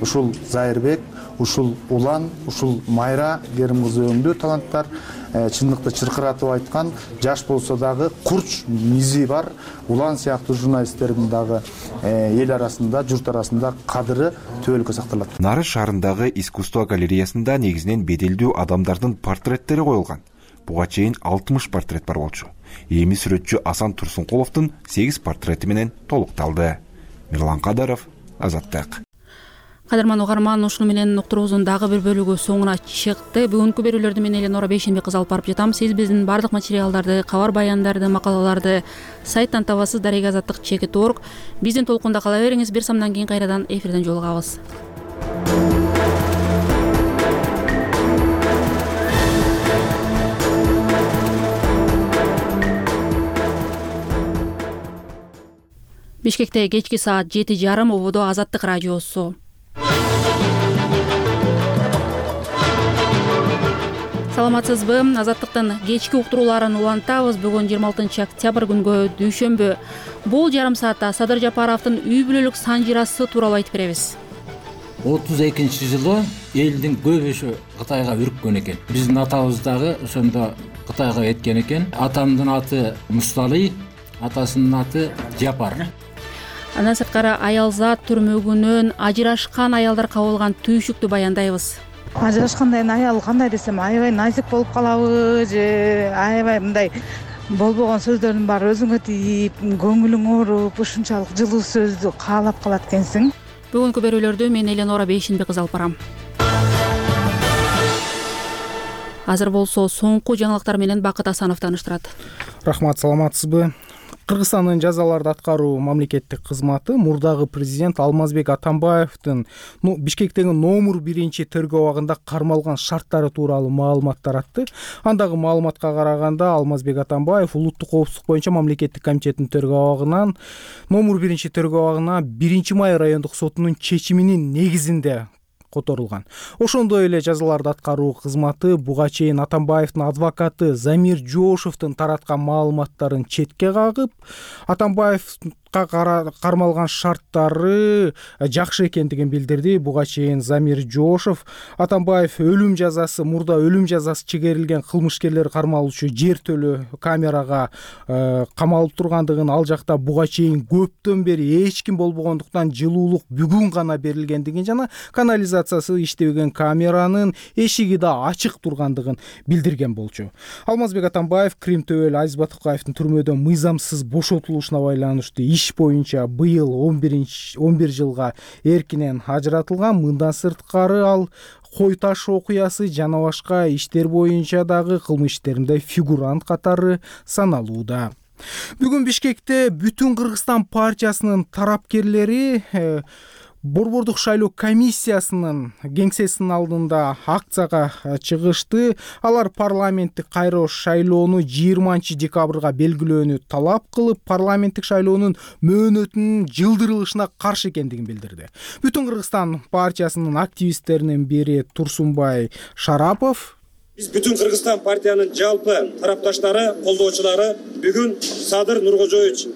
ушул Зайырбек, ушул Улан, ушул Майра Керим кызы өңдүү таланттар, чындыкты чыркыратып айткан, жаш болсо дагы курч мизи бар Улан сыяктуу журналисттердин дагы эл арасында, журт арасында кадыры төбөлүккө сакталат. Нары шаарындагы искусство галереясында негизинен беделдүү адамдардын портреттери коюлган. Буга чейин алтымыш портрет бар болчу. Эми сүрөтчү Асан Турсункуловдун сегиз портрети менен толукталды. Мирлан Кадаров, Азаттык. Кадырман угарман, ушуну менен уктуруубуздун дагы бир бөлүгү соңуна чыкты. Бүгүнкү берүүлөрдү мен Эленора Бейшенбек кызы алып барып жатам. Сиз биздин бардык материалдарды, кабар баяндарды, макалаларды сайттан табасыз. дарега азаттык чекит точка орг. Биздин толкунда кала бериңиз. Бир самдан кийин кайрадан эфирден жолугабыз. Бишкекте кечки саат жети жарым, ободо Азаттык радиосу. Саламатсызбы? Азаттыктын кечки уктурууларын улантабыз. Бүгүн жыйырма алтынчы октябрь күнгө дүйшөмбү. Бул жарым саатта Садыр Жапаровдун үй бүлөлүк санжирасы тууралуу айтып беребиз. отуз экинчи жылы элдин көбүсү Кытайга үрккөн экен. Биздин атабыз дагы ошондо Кытайга кеткен экен. Атамдын аты Мусталый, атасынын аты Жапар. Андан сырткары аялзат түрмөгүнөн ажырашкан аялдар кабылган түйшүктү баяндайбыз. Ажырашканда эми аял кандай десем, аябай назик болуп калабы же аябай мындай болбогон сөздөрдүн баары өзүңө тийип, көңүлүң ооруп, ушунчалык жылуу сөздү каалап калат экенсиң. Бүгүнкү берүүлөрдү мен Эленора Бейшенбек кызы алып барам. Азыр болсо соңку жаңылыктар менен Бакыт Асанов тааныштырат. Рахмат, саламатсызбы? Кыргызстандын жазаларды аткаруу мамлекеттик кызматы мурдагы президент Алмазбек Атамбаевдин Бишкектеги номер биринчи тергөө абагында кармалган шарттары тууралуу маалымат таратты. Андагы маалыматка караганда Алмазбек Атамбаев улуттук коопсуздук боюнча мамлекеттик комитеттин тергөө абагынан номер биринчи тергөө абагына биринчи май райондук сотунун чечиминин негизинде которулган. Ошондой эле жазаларды аткаруу кызматы буга чейин Атамбаевдин адвокаты Замир Жошовдун тараткан маалыматтарын четке кагып, Атамбаевга кармалган шарттары жакшы экендигин билдирди. Буга чейин Замир Жошов Атамбаев өлүм жазасы, мурда өлүм жазасы чегерилген кылмышкерлер кармалуучу жер төлөө камерага камалып тургандыгын, ал жакта буга чейин көптөн бери эч ким болбогондуктан жылуулук бүгүн гана берилгендигин жана канализациясы иштебеген камеранын эшиги да ачык тургандыгын билдирген болчу. Алмазбек Атамбаев Крим Төбөл Азиз Батыкаевдин түрмөдөн мыйзамсыз бошотулушуна байланыштуу иш боюнча быйыл он бир жылга эркинен ажыратылган. Мындан сырткары ал кой таш окуясы жана башка иштер боюнча дагы кылмыш иштеринде фигурант катары саналууда. Бүгүн Бишкекте Бүтүн Кыргызстан партиясынын тарапкерлери Борбордук шайлоо комиссиясынын кеңсесинин алдында акцияга чыгышты. Алар парламенттик кайра шайлоону жыйырманчы декабрга белгилөөнү талап кылып, парламенттик шайлоонун мөөнөтүнүн жылдырылышына каршы экендигин билдирди. Бүтүн Кыргызстан партиясынын активисттеринин бири Турсунбай Шарапов: Биз Бүтүн Кыргызстан партиянын жалпы тарапташтары, колдоочулары бүгүн Садыр Нуркожоевич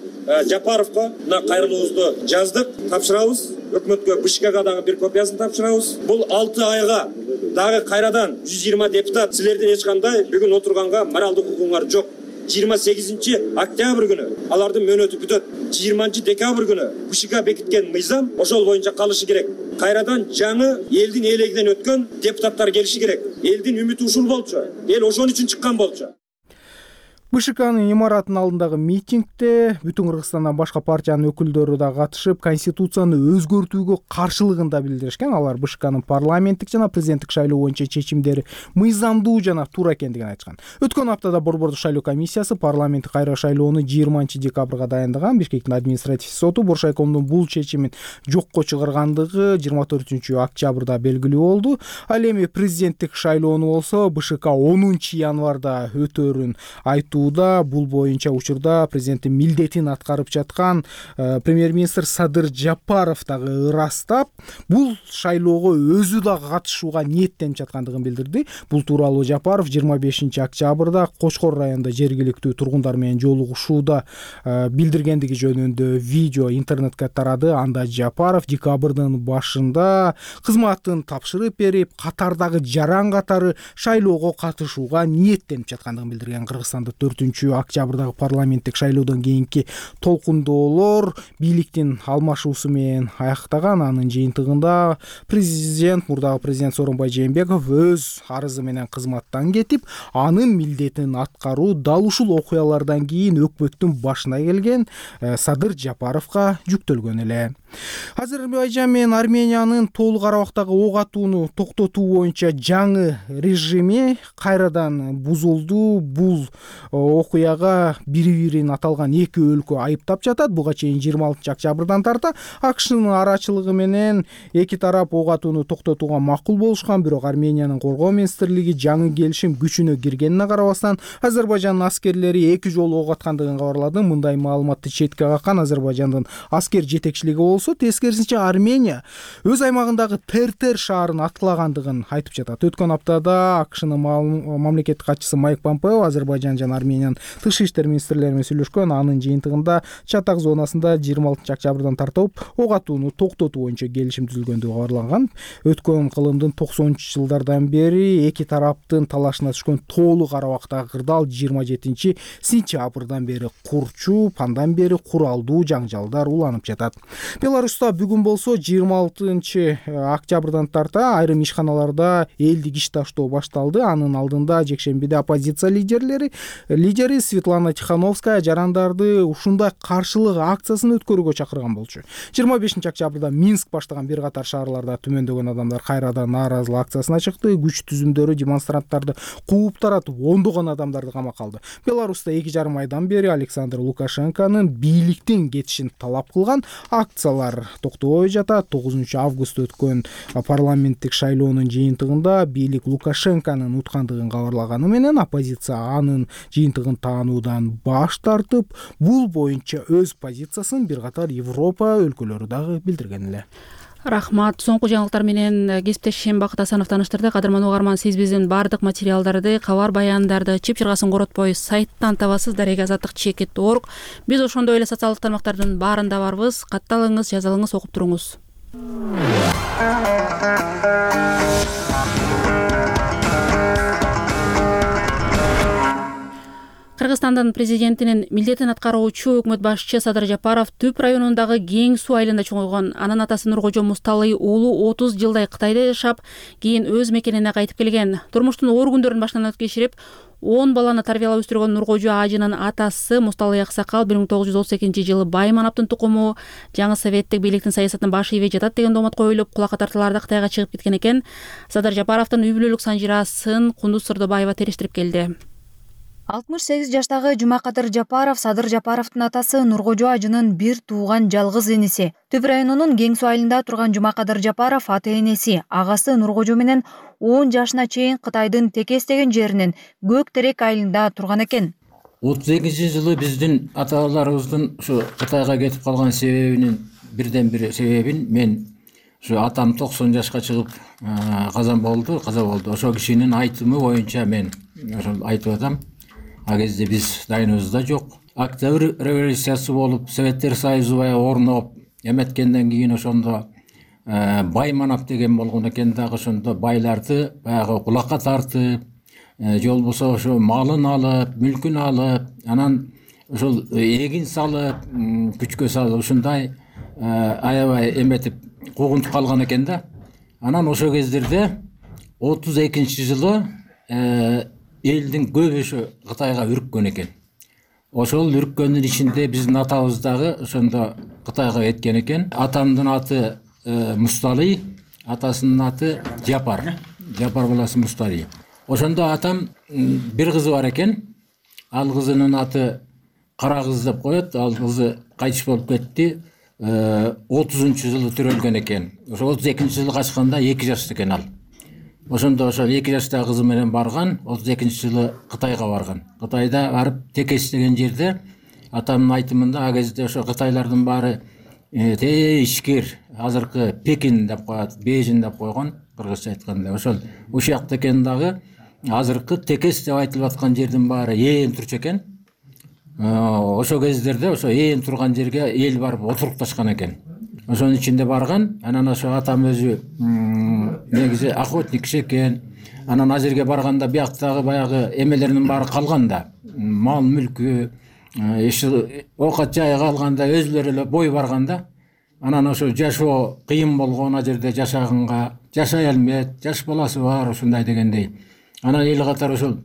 Жапаровго мына кайрылуубузду жаздык, тапшырабыз. Өкмөткө Бишкекке дагы бир копиясын тапшырабыз. Бул алты айга дагы кайрадан жүз жыйырма депутат силердин эч кандай бүгүн отурганга моралдык укугуңар жок. жыйырма сегизинчи октябрь күнү алардын мөөнөтү бүтөт. жыйырманчы декабрь күнү Бишкекке бекиткен мыйзам ошол боюнча калышы керек. Кайрадан жаңы элдин ээлегинен өткөн депутаттар келиши керек. Элдин үмүтү ушул болчу. Эл ошон үчүн чыккан болчу. БШКнын имаратынын алдындагы митингде Бүтүн Кыргызстандан башка партиянын өкүлдөрү да катышып, конституцияны өзгөртүүгө каршылыгын да билдиришкен. Алар БШКнын парламенттик жана президенттик шайлоо боюнча чечимдери мыйзамдуу жана туура экендигин айтышкан. Өткөн аптада Борбордук шайлоо комиссиясы парламенттик кайра шайлоону жыйырманчы декабрга дайындаган. Бишкектин административ соту Боршайкомдун бул чечимин жокко чыгаргандыгы жыйырма төртүнчү октябрда белгилүү болду. Ал эми президенттик шайлоону болсо БШК онунчу январда өтөөрүн айтуу айтууда. Бул боюнча учурда президенттин милдетин аткарып жаткан премьер-министр Садыр Жапаров дагы ырастап, бул шайлоого өзү да катышууга ниеттенип жаткандыгын билдирди. Бул тууралуу Жапаров жыйырма бешинчи октябрда Кочкор районунда жергиликтүү тургундар менен жолугушууда билдиргендиги жөнүндө видео интернетке тарады. Анда Жапаров декабрдын башында кызматын тапшырып берип, катардагы жаран катары шайлоого катышууга ниеттенип жаткандыгын билдирген. Кыргызстанда төртүнчү октябрдагы парламенттик шайлоодон кийинки толкундоолор бийликтин алмашуусу менен аяктаган. Анын жыйынтыгында президент, мурдагы президент Сооронбай Жээнбеков өз арызы менен кызматтан кетип, анын милдетин аткаруу дал ушул окуялардан кийин өкмөттүн башына келген Садыр Жапаровго жүктөлгөн эле. Азербайжан менен Армениянын толук арабактагы ок атууну токтотуу боюнча жаңы режими кайрадан бузулду. Бул окуяга бири-бирин аталган эки өлкө айыптап жатат. Буга чейин жыйырма алтынчы октябрдан тарта АКШнын арачылыгы менен эки тарап ок атууну токтотууга макул болушкан. Бирок Армениянын коргоо министрлиги жаңы келишим күчүнө киргенине карабастан Азербайжандын аскерлери эки жолу ок аткандыгын кабарлады. Мындай маалыматты четке каккан Азербайжандын аскер жетекчилиги болсо, тескерисинче Армения өз аймагындагы Тертер шаарын аткылагандыгын айтып жатат. Өткөн аптада АКШнын мамлекеттик катчысы Майк Помпео Азербайжан жана Армениянын тышкы иштер министрлери менен сүйлөшкөн. Анын жыйынтыгында Чатак зонасында жыйырма алтынчы октябрдан тартып ок атууну токтотуу боюнча келишим түзүлгөндүгү кабарланган. Өткөн кылымдын токсонунчу жылдардан бери эки тараптын талашына түшкөн толук арабактагы кырдаал жыйырма жетинчи сентябрдан бери курчуп, андан бери куралдуу жаңжалдар уланып жатат. Беларуста бүгүн болсо жыйырма алтынчы октябрдан тарта айрым ишканаларда элдик иш таштоо башталды. Анын алдында жекшембиде оппозиция лидерлери лидери Светлана Тихановская жарандарды ушундай каршылык акциясын өткөрүүгө чакырган болчу. жыйырма бешинчи октябрда Минск баштаган бир катар шаарларда түмөндөгөн адамдар кайрадан нааразылык акциясына чыкты. Күч түзүмдөрү демонстранттарды кууп таратып, ондогон адамдарды камакка алды. Беларуста эки жарым айдан бери Александр Лукашенконун бийликтен кетишин талап кылган акциялар токтобой жатат. тогузунчу августта өткөн парламенттик шайлоонун жыйынтыгында бийлик Лукашенконун уткандыгын кабарлаганы менен оппозиция анын жыйынтыгын таануудан баш тартып, бул боюнча өз позициясын бир катар Европа өлкөлөрү дагы билдирген эле. Рахмат. Соңку жаңылыктар менен кесиптешим Бакыт Асанов таныштырды. Кадырман угарман, сиз биздин бардык материалдарды, кабар баяндарды чып чыргасын коротпой сайттан табасыз, дарега азаттык чекит точка орг. Биз ошондой эле социалдык тармактардын баарында барбыз. Катталыңыз, жазалыңыз, окуп туруңуз. Кыргызстандын президентинин милдетин аткаруучу өкмөт башчы Садыр Жапаров Түп районундагы Кең суу айылында чоңойгон. Анын атасы Нуркожо Мусталый уулу отуз жылдай Кытайда жашап, кийин өз мекенине кайтып келген. Турмуштун оор күндөрүн баштан өткөрүп, он баланы тарбиялап өстүргөн Нуркожо ажынын атасы Мусталый Аксакал бир миң тогуз жүз отуз экинчи жылы Бай Манаптын тукуму, жаңы советтик бийликтин саясатынын баш ийбей жатат деген доомот коюлуп, кулакка тартууларда Кытайга чыгып кеткен экен. Садыр Жапаровдун үй бүлөлүк санжирасын Кундуз Сырдыбаева териштирип келди. алтымыш сегиз жаштагы Жумакадыр Жапаров Садыр Жапаровдун атасы Нуркожо ажынын бир тууган жалгыз иниси. Түп районунун Кең суу айылында турган Жумакадыр Жапаров ата энеси, агасы Нуркожо менен он жашына чейин Кытайдын Текес деген жеринин Көк Терек айылында турган экен. отуз экинчи жылы биздин ата-бабаларыбыздын ушу Кытайга кетип калган себебинин бирден бир себебин мен ушу атам токсон жашка чыгып казан болду, каза болду. Ошол кишинин айтымы боюнча мен ошол айтып атам. А кезде биз дайыныбызда жок. Октябрь революциясы болуп, Советтер Союзу баягы орноп, эметкенден кийин ошондо Бай Манап деген болгон экен дагы, ошондо байларды баягы кулакка тартып, же болбосо ошо малын алып, мүлкүн алып, анан ошол эгин салып, күчкө салып, ушундай аябай эметип куугунтуп калган экен да. Анан ошол кездерде отуз экинчи жылы элдин көбүшү Кытайга үрккөн экен. Ошол үрккөндүн ичинде биздин атабыз дагы ошондо Кытайга кеткен экен. Атамдын аты Мусталый, атасынын аты Жапар. Жапар баласы Мусталый. Ошондо атам бир кызы бар экен. Ал кызынын аты Кара кыз деп коет. Ал кызы кайтыш болуп кетти. отузунчу жылы төрөлгөн экен. Ошо отуз экинчи жылы качканда эки жашта экен ал. ошондо ошол эки жаштагы кызы менен барган. отуз экинчи жылы Кытайга барган. Кытайда барып Текес деген жерде атамдын айтымында а кезде ошо кытайлардын баары те ишкер, азыркы Пекин деп коет, Бейжин деп койгон кыргызча айтканда. Ошол ушул жакта экен дагы азыркы Текес деп айтылып аткан жердин баары ээн турчу экен. Ошол кездерде ошо ээн турган жерге эл барып отурукташкан экен. Ошонун ичинде барган. Анан ошо атам өзү негизи охотник киши экен. Анан ал жерге барганда бияктагы баягы эмелеринин баары калган да. Мал мүлкү, оокат жайы калганда өзүлөрү эле бой барганда. Анан ошо жашоо кыйын болгон, ал жерде жашаганга, жашай алмайт, жаш баласы бар ушундай дегендей. Анан эл катары ошол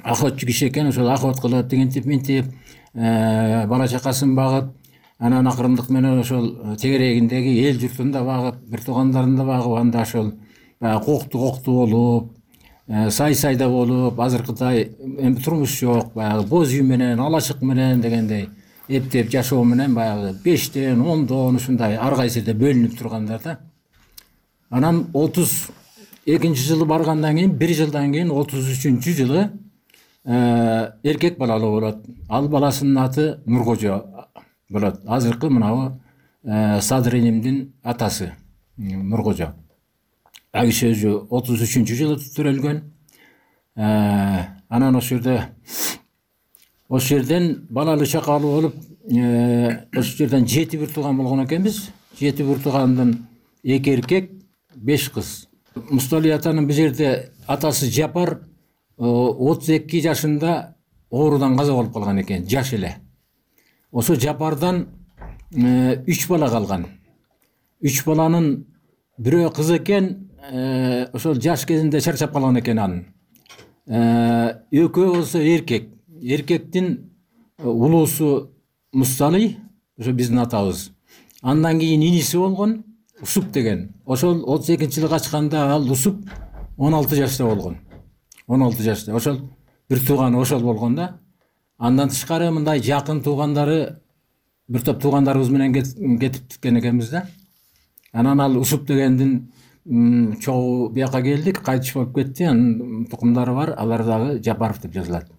охотчу киши экен, ошол охот кылып, тигинтип минтип, бала чакасын багып, анан акырындык менен ошол тегерегиндеги эл журтун да багып, бир туугандарын да багып, анда ошол баягы кокту кокту болуп, сай сайда болуп, азыркыдай эми турмуш жок, баягы боз үй менен, алачык менен дегендей эптеп жашоо менен баягы бештен, ондон ушундай ар кайсыда бөлүнүп тургандар да. Анан отуз экинчи жылы баргандан кийин, бир жылдан кийин отуз үчүнчү жылы эркек балалуу болот. Ал баласынын аты Нуркожо болот. Азыркы мынабы Садыр энимдин атасы Нуркожо. Ал киши өзү отуз үчүнчү жылы төрөлгөн. Анан ошол жерде ошол жерден балалуу чакалуу болуп, ошол жерден жети бир тууган болгон экенбиз. жети бир туугандын эки эркек, беш кыз. Мустали атанын бул жерде атасы Жапар отуз эки жашында оорудан каза болуп калган экен, жаш эле. Ошо Жапардан үч бала калган. Үч баланын бирөө кыз экен, ошол жаш кезинде чарчап калган экен анын. Экөө болсо эркек. Эркектин улуусу Мустали, ошо биздин атабыз. Андан кийин иниси болгон Усуп деген. Ошол отуз экинчи жылы качканда ал Усуп он алты жашта болгон. он алты жашта. Ошол бир тууганы ошол болгон да. Андан тышкары мындай жакын туугандары, бир топ туугандарыбыз менен кетип кеткен экенбиз да. Анан ал Усуп дегендин чогуу бияка келдик, кайтыш болуп кетти. Анын тукумдары бар, алар дагы Жапаров деп жазылат.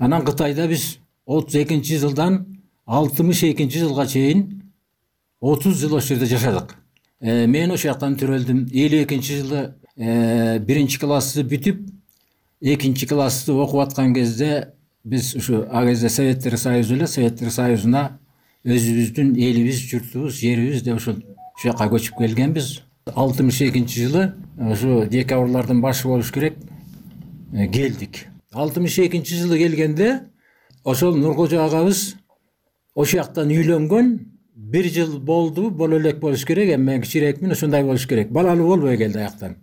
Анан Кытайда биз отуз экинчи жылдан алтымыш экинчи жылга чейин отуз жыл ошол жерде жашадык. Мен ошол жактан төрөлдүм. элүү экинчи жылы биринчи классты бүтүп, экинчи классты окуп аткан кезде биз ушу а кезде Советтер Союзу эле, Советтер Союзуна өзүбүздүн элибиз, журтубуз, жерибиз деп ошол ушул жака көчүп келгенбиз. алтымыш экинчи жылы ушу декабрлардын башы болуш керек келдик. алтымыш экинчи жылы келгенде ошол Нуркожо агабыз ошол жактан үйлөнгөн, бир жыл болду, боло элек болуш керек, эми мен кичирээкмин, ошондой болуш керек. Балалуу болбой келди аяктан.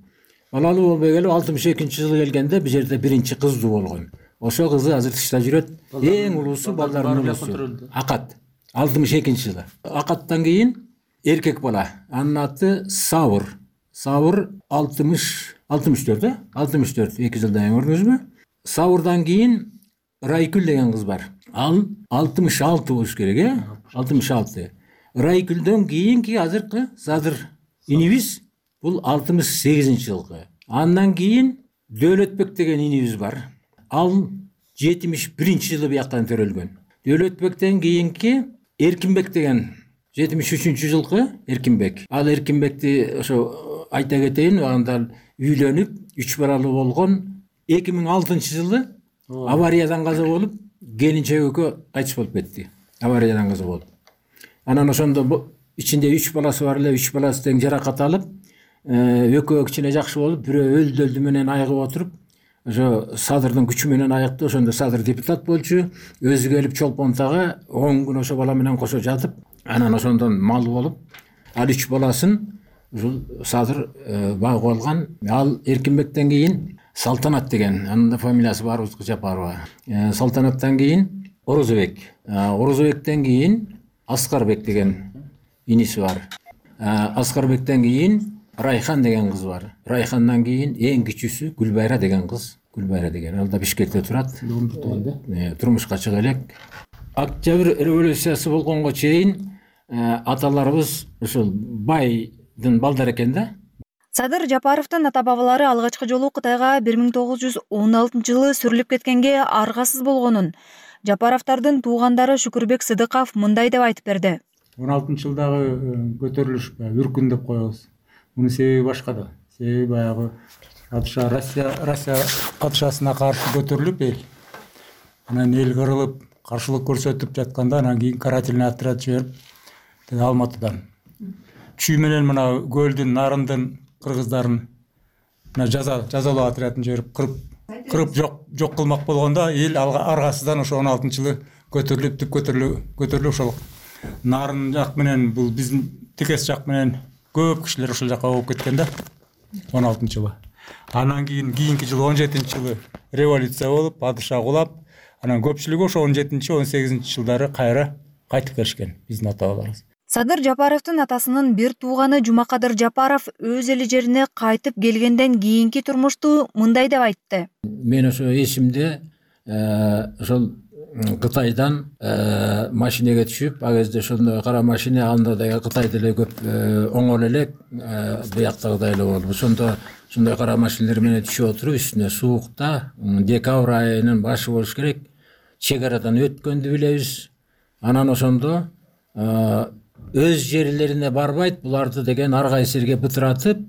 Балалуу болбой келип алтымыш экинчи жылы келгенде бул жерде биринчи кыздуу болгон. Ошол кызы азыр тышта жүрөт. Эң улуусу, балдардын улуусу Акат. алтымыш экинчи жылы. Акаттан кийин эркек бала. Анын аты Сабыр. Сабыр алтымыш алтымыш төрт, э? алтымыш төрт, эки жылдан кийин көрдүңүзбү? Сабырдан кийин Райкүл деген кыз бар. Ал алтымыш алты болуш керек, э? алтымыш алты. Райкүлдөн кийинки азыркы Садыр инибиз бул алтымыш сегизинчи жылкы. Андан кийин Дөөлөтбек деген инибиз бар. Ал жетимиш биринчи жылы бияктан төрөлгөн. Дөөлөтбектен кийинки Эркинбек деген жетимиш үчүнчү жылкы Эркинбек. Ал Эркинбекти ошо айта кетейин, анда үйлөнүп, үч балалуу болгон. эки миң алтынчы жылы авариядан каза болуп, келинчек экөө кайтыш болуп кетти. Авариядан каза болуп. Анан ошондо ичинде үч баласы бар эле, үч баласы тең жаракат алып, экөө кичине жакшы болуп, бирөө өлдү өлдү менен айыгып отуруп, ошо Садырдын күчү менен айыкты. Ошондо Садыр депутат болчу, өзү келип Чолпонтага он күн ошо бала менен кошо жатып, анан ошондон мал болуп, ал үч баласын ушул Садыр багып алган. Ал Эркинбектен кийин Салтанат деген, анын да фамилиясы бар, Жапарова. Салтанаттан кийин Орозобек. Орозобектен кийин Аскарбек деген иниси бар. Аскарбектен кийин Райхан деген кыз бар. Райхандан кийин эң кичүүсү Гүлбайра деген кыз. Гүлбайра деген. Ал да Бишкекте турат. Турмушка чыга элек. Октябрь революциясы болгонго чейин аталарыбыз ушул байдын балдары экен да. Садыр Жапаровдун ата бабалары алгачкы жолу Кытайга бир миң тогуз жүз он алтынчы жылы сүрүлүп кеткенге аргасыз болгонун Жапаровдордун туугандары Шүкүрбек Сыдыков мындай деп айтып берди. он алтынчы жылдагы көтөрүлүш үркүн деп коебуз. Мунун себеби башка да. Себеби баягы падыша Россия Россия падышасына каршы көтөрүлүп эл. Анан эл кырылып, каршылык көрсөтүп жатканда анан кийин карательный отряд жиберип, Алматыдан чүй менен мына көлдүн нарындын кыргыздарын мына жаза жазалоо отрядын жиберип кырып кырып жок жок кылмак болгондо эл аргасыздан ошо он алтынчы жылы көтөрүлүп түп көтөрүлүп көтөрүлүп ошол нарын жак менен бул биздин текес жак менен көп кишилер ошол жака болуп кеткен да он алтынчы жылы. Анан кийин кийинки жылы он жетинчи жылы революция болуп, падыша кулап, анан көпчүлүгү ошо он жетинчи он сегизинчи жылдары кайра кайтып келишкен биздин ата бабаларыбыз. Садыр Жапаровдун атасынын бир тууганы Жумакадыр Жапаров өз эл жерине кайтып келгенден кийинки турмушту мындай деп айтты. Мен ошо эсимде ошол Кытайдан машинеге түшүп, ал кезде ошондой кара машина анда да Кытай деле көп оңол элек, бияктагыдай эле болду. Ошондо ушундай кара машиналар менен түшүп отуруп, үстүнө суукта, декабрь айынын башы болуш керек, чек арадан өткөндү билебиз. Анан ошондо өз жерлерине барбайт, буларды деген ар кайсы бытыратып,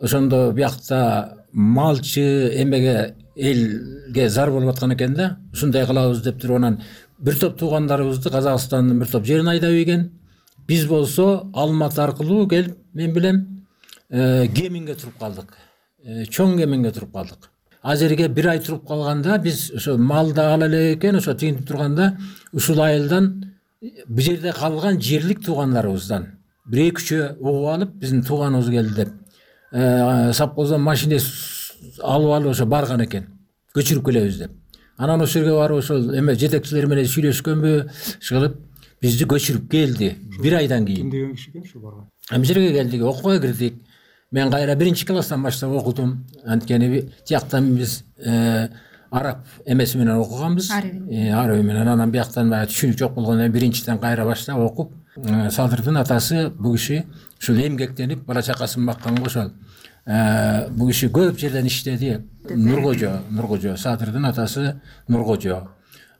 ошондо биякта малчы эмеге элге зар болуп аткан экен да, ушундай кылабыз деп туруп анан бир топ туугандарыбызды Казакстандын бир топ жерине айдап ийген. Биз болсо Алматы аркылуу келип, мен билем, Кеминге туруп калдык. Чоң Кеминге туруп калдык. Азерге бир ай туруп калганда биз ошо малды ала элек экен, ошо тигинтип турганда ушул айылдан бу жерде калган жерлик туугандарыбыздан бир эки үчөө угуп алып, биздин тууганыбыз келди деп, совхоздон машине алып алып ошо барган экен, көчүрүп келебиз деп. Анан ошол жерге барып ошол эме жетекчилер менен сүйлөшкөнбү, шылып бизди көчүрүп келди бир айдан кийин. Ким деген киши экен ошо барган? Бу жерге келдик, окууга кирдик. Мен кайра биринчи класстан баштап окудум. Анткени тияктан биз араб эмеси менен окуганбыз. Араби менен. Анан бияктан баягы түшүнүк жок болгондон биринчиден кайра баштап окуп, Садырдын атасы бу киши ушул эмгектенип бала чакасын бакканга ошол бу киши көп жерден иштеди. Нуркожо, Нуркожо, Садырдын атасы Нуркожо.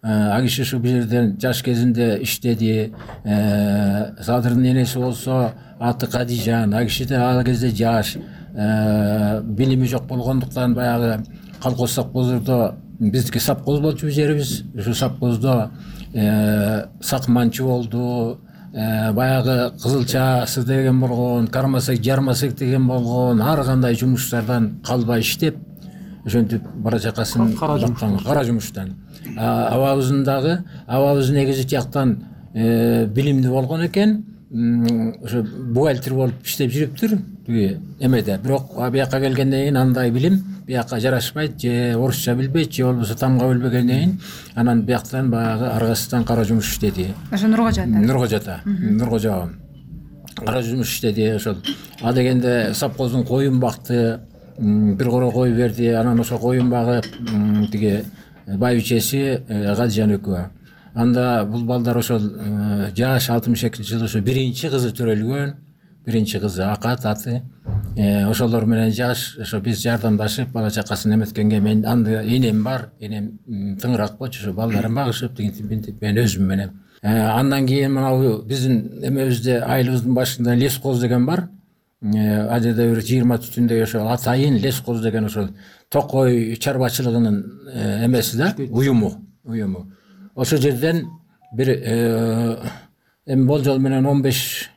А киши ушу бул жерден жаш кезинде иштеди. Садырдын энеси болсо аты Кадижан, а киши да ал кезде жаш, билими жок болгондуктан баягы колхоз совхоздо биздики совхоз болчу жерибиз. Ушу совхоздо сакманчы болду, баягы кызылчасы деген болгон, кармасек жармасек деген болгон, ар кандай жумуштардан калбай иштеп, ошентип бала чакасын баккан кара жумуштан. Абабыздын дагы, абабыз негизи тияктан билимдүү болгон экен, ошо бухгалтер болуп иштеп жүрүптүр тиги эмеде. Бирок бияка келгенден кийин андай билим бияка жарашпайт, же орусча билбейт, же болбосо тамга билбегенден кийин анан бияктан баягы аргасыздан кара жумуш иштеди. Ошо Нуркожода. Нуркожода. Нуркожо кара жумуш иштеди ошол. А дегенде совхоздун коюн бакты, бир коро кой берди, анан ошо коюн багып тиги байбичеси Кадижан экөө. Анда бул балдар ошол жаш алтымыш экинчи жылы ошо биринчи кызы төрөлгөн, биринчи кызы Акат аты. Ошолор менен жаш ошо биз жардамдашып бала чакасын эметкенге мен анда энем бар, энем тыңыраак болчу, ошо балдарын багышып тигинтип мен өзүм менен. Андан кийин мына биздин эмебизде айылыбыздын башында лескоз деген бар. Ал жерде бир жыйырма түтүндөй ошо Атайын лескоз деген ошол токой чарбачылыгынын эмеси да, уюму, уюму. Ошол жерден бир эми болжол менен он беш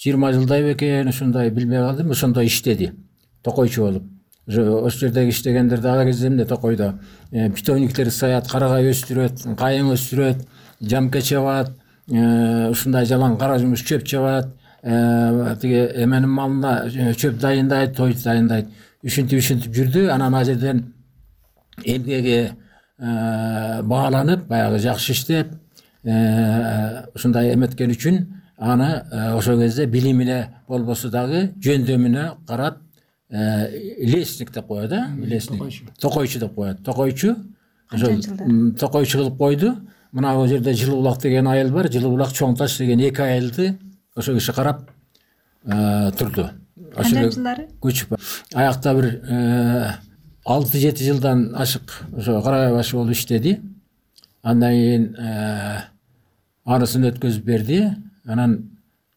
жыйырма жылдай бекен, ушундай билбей калдым, ошондой иштеди. Токойчу болуп. Ошол жердеги иштегендерде ал кезде эмне токойдо питомниктер саят, карагай өстүрөт, кайың өстүрөт, жамке чабат, ушундай жалаң кара жумуш чөп чабат, тиги эменин малына чөп дайындайт, той дайындайт. Ушинтип ушинтип жүрдү. Анан ал жерден эмгеге бааланып, баягы жакшы иштеп, ушундай эметкен үчүн аны ошол кезде билимине болбосо дагы жөндөмүнө карап лесник деп коет, да, лесник. Токойчу деп коет. Токойчу. Ошол токойчу кылып койду. Мына бул жерде Жылы булак деген айыл бар, Жылы булак, Чоң таш деген эки айылды ошо киши карап турду. Кандай жылдары? Көчүп аякта бир алты жети жылдан ашык ошо Карабай башы болуп иштеди. Андан кийин анысын өткөзүп берди. Анан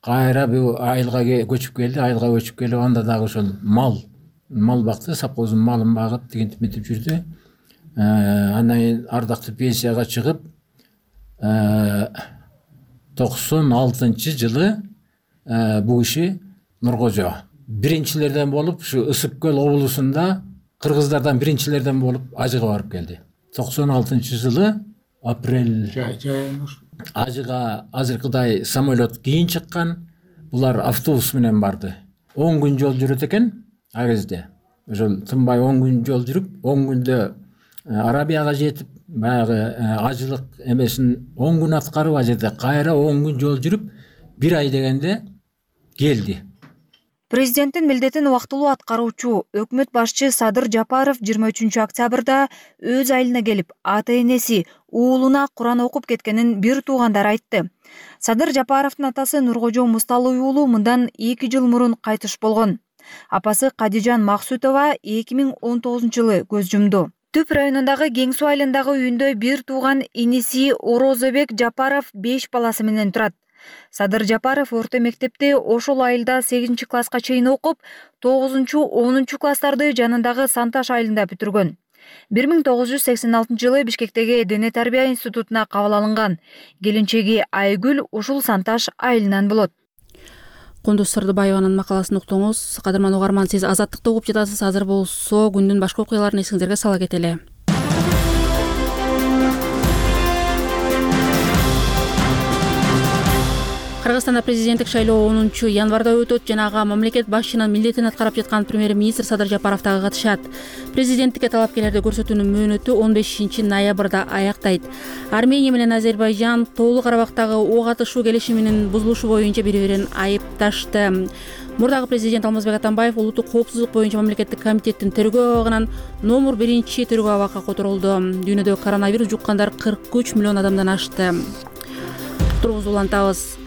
кайра бул айылга көчүп келди. Айылга көчүп келип анда дагы ошол мал мал бакты, совхоздун малын багып тигинтип митип жүрдү. Андан кийин ардактуу пенсияга чыгып токсон алтынчы жылы бул киши Нуркожо биринчилерден болуп ушу Ысык көл облусунда кыргыздардан биринчилерден болуп Ажыга барып келди. токсон алтынчы жылы апрель Ажыга азыркыдай самолет кийин чыккан. Булар автобус менен барды. он күн жол жүрөт экен а кезде. Ошол тынбай он күн жол жүрүп, он күндө Арабияга жетип, баягы ажылык эмесин он күн аткарып, а жерде кайра он күн жол жүрүп, бир ай дегенде келди. Президенттин милдетин убактылуу аткаруучу өкмөт башчы Садыр Жапаров жыйырма үчүнчү октябрда өз айылына келип, ата энеси уулуна Куран окуп кеткенин бир туугандары айтты. Садыр Жапаровдун атасы Нуркожо Мусталый уулу мындан эки жыл мурун кайтыш болгон. Апасы Кадижан Максутова эки миң он тогузунчу жылы көз жумду. Түп районундагы Кең суу айылындагы үйүндө бир тууган иниси Орозобек Жапаров беш баласы менен турат. Садыр Жапаров орто мектепти ошол айылда сегизинчи класска чейин окуп, тогузунчу онунчу класстарды жанындагы Санташ айылында бүтүргөн. бир миң тогуз жүз сексен алтынчы жылы Бишкектеги Дене тарбия институтуна кабыл алынган. Келинчеги Айгүл ушул Санташ айылынан болот. Кундуз Сырдыбаеванын макаласын уктуңуз. Кадырман угарман, сиз Азаттыкты угуп жатасыз. Азыр болсо күндүн башка окуяларын эсиңизерге сала кетели. Кыргызстанда президенттик шайлоо онунчу январда өтөт. Жанагы мамлекет башчынын милдетин аткарып жаткан премьер-министр Садыр Жапаров дагы катышат. Президенттикке талапкерлерди көрсөтүүнүн мөөнөтү он бешинчи ноябрда аяктайт. Армения менен Азербайжан Тоолуу Карабактагы ок атышуу келишиминин бузулушу боюнча бири-бирин айыпташты. Мурдагы президент Алмазбек Атамбаев улуттук коопсуздук боюнча мамлекеттик комитеттин тергөө абагынан номер биринчи тергөө абакка которулду. Дүйнөдө коронавирус жуккандар кырк үч миллион адамдан ашты. Тургузду улантабыз.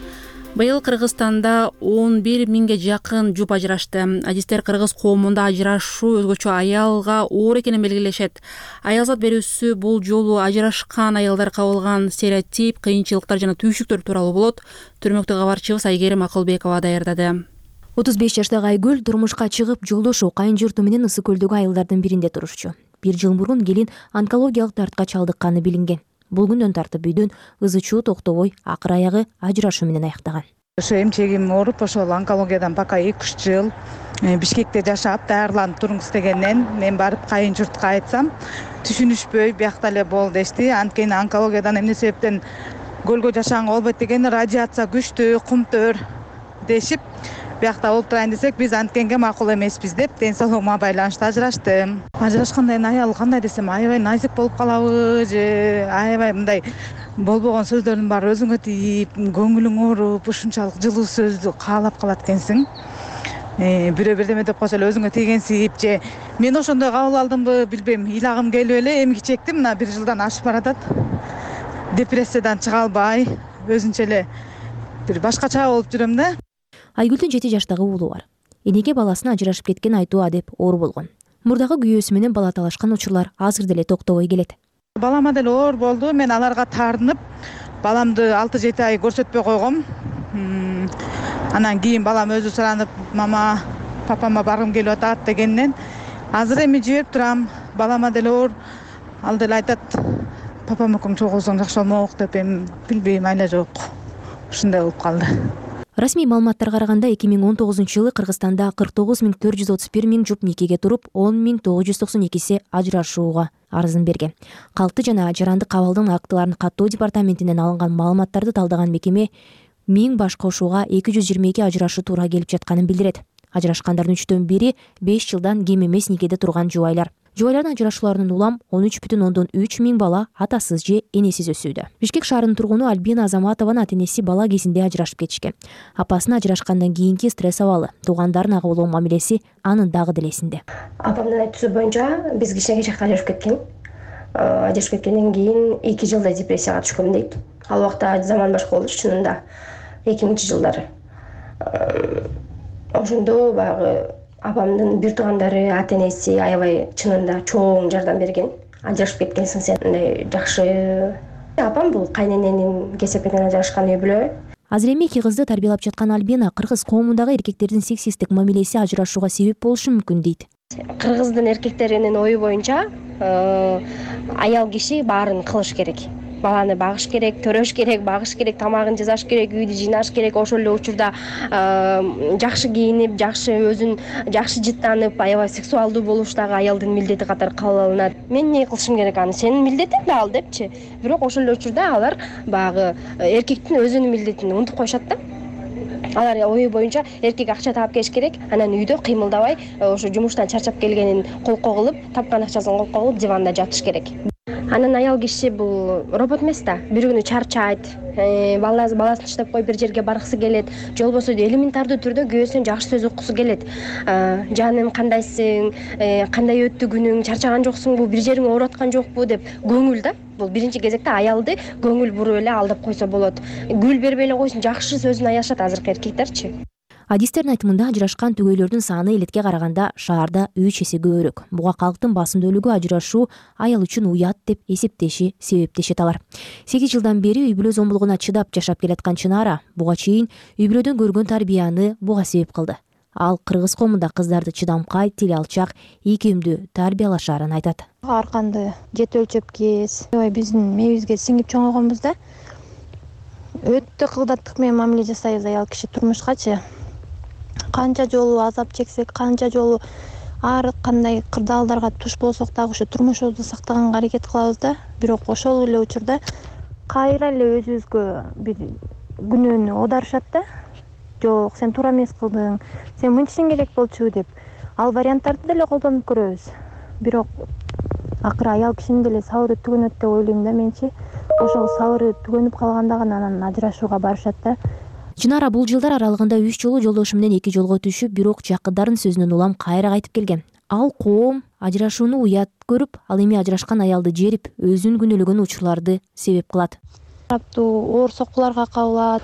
Быйыл Кыргызстанда он бир миңге жакын жуп ажырашты. Адистер кыргыз коомунда ажырашуу өзгөчө аялга оор экенин белгилешет. Аялзат берүүсү бул жолу ажырашкан аялдар кабылган стереотип, кыйынчылыктар жана түйшүктөр тууралуу болот. Түрмөктө кабарчыбыз Айгерим Акылбекова даярдады. отуз беш жаштагы Айгүл турмушка чыгып, жолдошу кайын журту менен Ысык көлдөгү айылдардын биринде турушчу. Бир жыл мурун келин онкологиялык дартка чалдыкканы билинген. Бул күндөн тартып үйдөн ызы чуу токтобой, акыр аягы ажырашуу менен аяктаган. Ошо эмчегим ооруп, ошол онкологиядан пока эки үч жыл Бишкекте жашап, даярданып туруңуз дегенден мен барып кайын журтка айтсам, түшүнүшпөй биякта эле бол дешти. Анткени онкологиядан эмне себептен көлгө жашаганга болбойт деген, радиация күчтүү, кумтөр дешип, биякта болуп турайын десек, биз анткенге макул эмеспиз деп, ден соолугума байланыштуу ажыраштым. Ажырашкандан кийин аял кандай десем, аябай назик болуп калабы же аябай мындай болбогон сөздөрдүн баары өзүңө тийип, көңүлүң ооруп, ушунчалык жылуу сөздү каалап калат экенсиң. Бирөө бирдеме деп койсо эле өзүңө тийгенсип же мен ошондой кабыл алдымбы билбейм, ыйлагым келип эле эмгичи чектим, мына бир жылдан ашып баратат. Депрессиядан чыга албай, өзүнчө эле бир башкача болуп жүрөм да. Айгүлдүн жети жаштагы уулу бар. Энеге баласына ажырашып кеткен айтуу адеп оор болгон. Мурдагы күйөөсү менен бала талашкан учурлар азыр деле токтобой келет. Балама деле оор болду. Мен аларга таарынып, баламды алты жети ай көрсөтпөй койгом. Анан кийин балам өзү суранып, мама, папама баргым келип атат дегенден, азыр эми жиберип турам. Балама деле оор. Ал деле айтат, папам экөөң чогулсоң жакшы болмок деп, эми билбейм, айла жок. Ушундай болуп калды. Расмий маалыматтарга караганда эки миң он тогузунчу жылы Кыргызстанда кырк тогуз миң төрт жүз отуз бир миң жуп никеге туруп, он миң тогуз жүз токсон экиси ажырашууга арызын берген. Калкты жана жарандык кабалдын актыларын каттоо департаментинен алынган маалыматтарды талдаган мекеме миң баш кошууга эки жүз жыйырма эки ажырашуу туура келип жатканын билдирет. Ажырашкандардын үчтөн бири беш жылдан кем эмес никеде турган жубайлар. Жубайлардын ажырашууларынын улам он үч бүтүн ондон үч миң бала атасыз же энесиз өсүүдө. Бишкек шаарынын тургуну Альбина Азаматованын ата энеси бала кезинде ажырашып кетишкен. Апасынын ажырашкандан кийинки стресс абалы, туугандарын ага болгон мамилеси анын дагы делесинде. Апамдын айтуусу боюнча биз кичинекей жакта ажырашып кеткен. Ажырашып кеткенден кийин эки жылдай депрессияга түшкөм дейт. Ал убакта заман башка болчу чынында. эки миңинчи жылдары. ошондо баягы апамдын бир туугандары, ата энеси аябай чынында чоң жардам берген. Ажырашып кеткенсиң сен, мындай жакшы. Апам бул кайнененин кесепетинен ажырашкан үй бүлө. Азыр эми эки кызды тарбиялап жаткан Альбина кыргыз коомундагы эркектердин сексисттик мамилеси ажырашууга себеп болушу мүмкүн дейт. Кыргыздын эркектеринин ою боюнча аял киши баарын кылыш керек. Баланы багыш керек, төрөш керек, багыш керек, тамагын жасаш керек, үйдү жыйнаш керек. Ошол эле учурда жакшы кийинип, жакшы өзүн жакшы жыттанып, аябай сексуалдуу болуш дагы аялдын милдети катары кабыл алынат. Мен эмне кылышым керек аны? Сенин милдетиң да ал депчи. Бирок ошол эле учурда алар багы эркектин өзүнүн милдетин унутуп коюшат да. Алар ою боюнча эркек акча таап келиш керек, анан үйдө кыймылдабай, ошо жумуштан чарчап келгенин колко кылып, тапкан акчасын колко кылып диванда жатыш керек. Анан аял киши бул робот эмес да. Бир күнү чарчайт, баласын таштап коюп бир жерге баргысы келет, же болбосо элементардуу түрдө күйөөсүнөн жакшы сөз уккусу келет. Жаным, кандайсың? Кандай өттү күнүң? Чарчаган жоксуңбу? Бир жериң ооруп аткан жокпу деп көңүл да. Бул биринчи кезекте аялды көңүл буруп эле алдап койсо болот. Гүл бербей эле койсун, жакшы сөзүн аялышат азыркы эркектерчи. Адистердин айтымында ажырашкан түгөйлөрдүн саны элекке караганда шаарда үч эсе көбүрөөк. Буга калктын басымдуулугу ажырашуу аял үчүн уят деп эсептеши себептешет алар. сегиз жылдан бери үй бүлө зомбулугуна чыдап жашап келаткан Чынара буга чейин үй бүлөдөн көргөн тарбияны буга себеп кылды. Ал кыргыз коомунда кыздарды чыдамкай, тил алчак, ийкемдүү тарбиялашаарын айтат. Арканды жет өлчөп кез, биздин мээбизге сиңип чоңойгонбуз да. Өтө кылдаттык менен мамиле жасайбыз аял киши турмушкачы. Канча жолу азап чексек, канча жолу ар кандай кырдаалдарга туш болсок дагы ошо турмушубузду сактаганга аракет кылабыз да. Бирок ошол эле учурда кайра эле өзүбүзгө бир күнөөнү оодарышат да. Жок, сен туура эмес кылдың, сен мынтишиң керек болчу деп. Ал варианттарды деле колдонуп көрөбүз. Бирок акыры аял кишинин деле сабыры түгөнөт деп ойлойм да менчи. Ошол сабыры түгөнүп калганда гана анан ажырашууга барышат да. Чынара бул жылдар аралыгында үч жолу жолдошу менен эки жолго түшүп, бирок жакындарын сөзүнөн улам кайра кайтып келген. Ал коом ажырашууну уят көрүп, ал эми ажырашкан аялды жерип, өзүн күнөөлөгөн учурларды себеп кылат. Тараптуу оор соккуларга кабылат,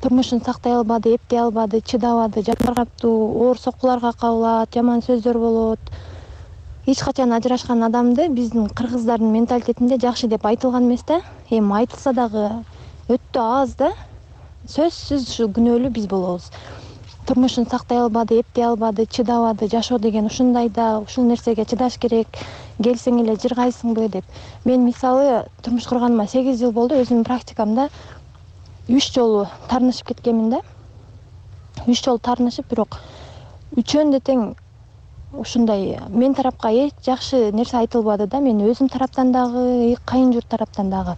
турмушун сактай албады, эптей албады, чыдабады, тараптуу оор соккуларга кабылат, жаман сөздөр болот. Эч качан ажырашкан адамды биздин кыргыздардын менталитетинде жакшы деп айтылган эмес да. Эми айтылса дагы өтө аз да. Сөзсүз ушу күнөөлүү биз болобуз. Турмушун сактай албады, эптей албады, чыдабады, жашоо деген ушундай да, ушул нерсеге чыдаш керек, келсең эле жыргайсыңбы деп. Мен мисалы турмуш курганыма сегиз жыл болду, өзүмдүн практикамда үч жолу таарынышып кеткенмин да. үч жолу таарынышып, бирок үчөөндө тең ушундай мен тарапка эч жакшы нерсе айтылбады да. Мен өзүм тараптан дагы, кайын журт тараптан дагы.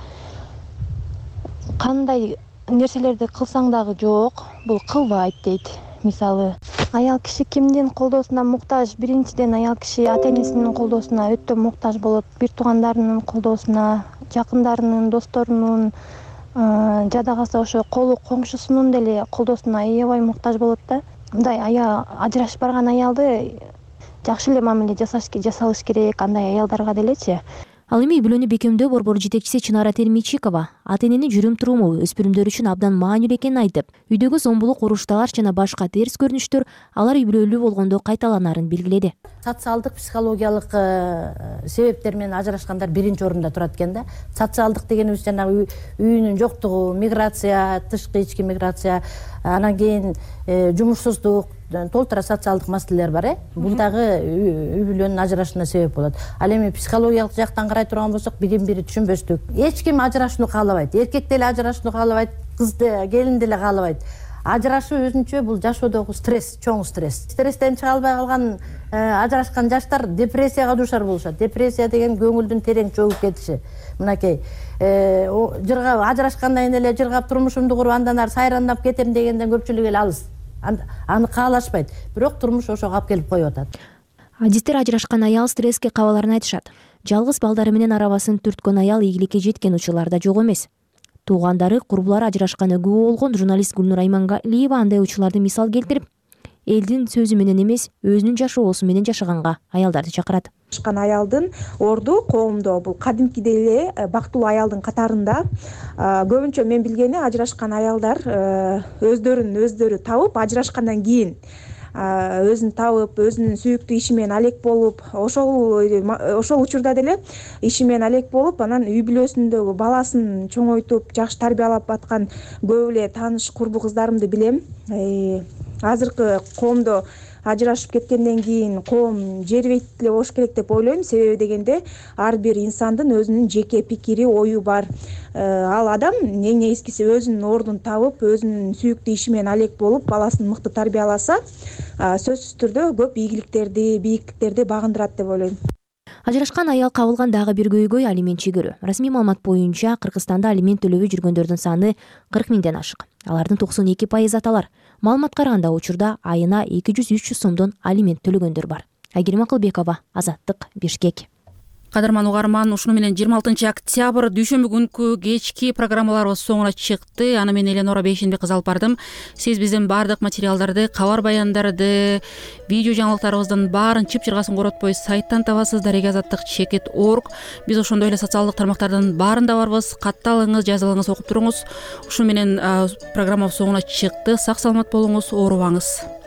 Кандай нерселерди кылсаң дагы жок, бул кылбайт дейт. Мисалы, аял киши кимдин колдоосуна муктаж? Биринчиден аял киши ата энесинин колдоосуна өтө муктаж болот. Бир туугандарынын колдоосуна, жакындарынын, досторунун, жада калса ошо колу коңшусунун деле колдоосуна аябай муктаж болот да. Мындай ая ажырашып барган аялды жакшы эле мамиле жасалыш керек, андай аялдарга делечи. Ал эми үй бүлөнү бекемдөө борбору жетекчиси Чынара Термичикова ата эненин жүрүм туруму өспүрүмдөр үчүн абдан маанилүү экенин айтып, үйдөгү зомбулук, уруштагар жана башка терс көрүнүштөр алар үй бүлөлүү болгондо кайталанарын белгиледи. Социалдык, психологиялык себептер менен ажырашкандар биринчи орунда турат экен да. Социалдык дегенибиз жанагы үйүнүн жоктугу, миграция, тышкы ички миграция, анан кийин жумушсуздук, толтура социалдык маселелер бар, э. Бул дагы үй бүлөнүн ажырашууна себеп болот. Ал эми психологиялык жактан карай турган болсок, бирин-бири түшүнбөстүк. Эч ким ажырашууну каалабайт. Эркек деле ажырашууну каалабайт, кыз деле, келин деле каалабайт. Ажырашуу өзүнчө бул жашоодогу стресс, чоң стресс. Стресстен чыга албай калган ажырашкан жаштар депрессияга дуушар болушат. Депрессия деген көңүлдүн терең чөгүп кетиши. Мынакей жыргап ажырашкандан кийин эле жыргап турмушумду куруп андан ары сайрандап кетем дегенден көпчүлүк эле алыс. Аны каалашпайт. Бирок турмуш ошого алып келип коюп атат. Адистер ажырашкан аял стресске кабаларын айтышат. Жалгыз балдары менен арабасын түрткөн аял ийгиликке жеткен учурлар да жок эмес. Туугандары, курбулары ажырашканы күбө болгон журналист Гүлнур Аймангалиева андай учурларды мисал келтирип, элдин сөзү менен эмес, өзүнүн жашоосу менен жашаганга аялдарды чакырат. Ажырашкан аялдын орду коомдо бул кадимкидей эле бактылуу аялдын катарында. Көбүнчө мен билгени ажырашкан аялдар өздөрүн өздөрү табып, ажырашкандан кийин өзүн табып өзүнүн сүйүктүү иши менен алек болуп ошол ошол учурда деле иши менен алек болуп анан үй бүлөсүндөгү баласын чоңойтуп жакшы тарбиялап аткан көп эле тааныш курбу кыздарымды билем. Азыркы коомдо ажырашып кеткенден кийин коом жербейт эле болуш керек деп ойлойм. Себеби дегенде ар бир инсандын өзүнүн жеке пикири, ою бар. Ал адам эң негизгиси өзүнүн ордун табып, өзүнүн сүйүктүү иши менен алек болуп, баласын мыкты тарбияласа, сөзсүз түрдө көп ийгиликтерди, бийиктиктерди багындырат деп ойлойм. Ажырашкан аял кабылган дагы бир көйгөй алимент чегөрүү. Расмий маалымат боюнча Кыргызстанда алимент төлөбөй жүргөндөрдүн саны кырк миңден ашык. Алардын токсон эки пайызы аталар. Маалыматка караганда учурда айына эки жүз үч жүз сомдон алимент төлөгөндөр бар. Айгерим Акылбекова, Азаттык, Бишкек. Кадырман угарман, ушуну менен жыйырма алтынчы октябрь дүйшөмбү күнкү кечки программаларыбыз соңуна чыкты. Аны мен Эленора Бейшенбек кызы алып бардым. Сиз биздин баардык материалдарды, кабар баяндарды, видео жаңылыктарыбыздын баарын чып-чыргасын коротпой сайттан табасыз. Дареге азаттык чекит точка орг. Биз ошондой эле социалдык тармактардын баарында барбыз. Катталыңыз, жазылыңыз, окуп туруңуз. Ушуну менен программабыз соңуна чыкты. Сак саламат болуңуз, оорубаңыз.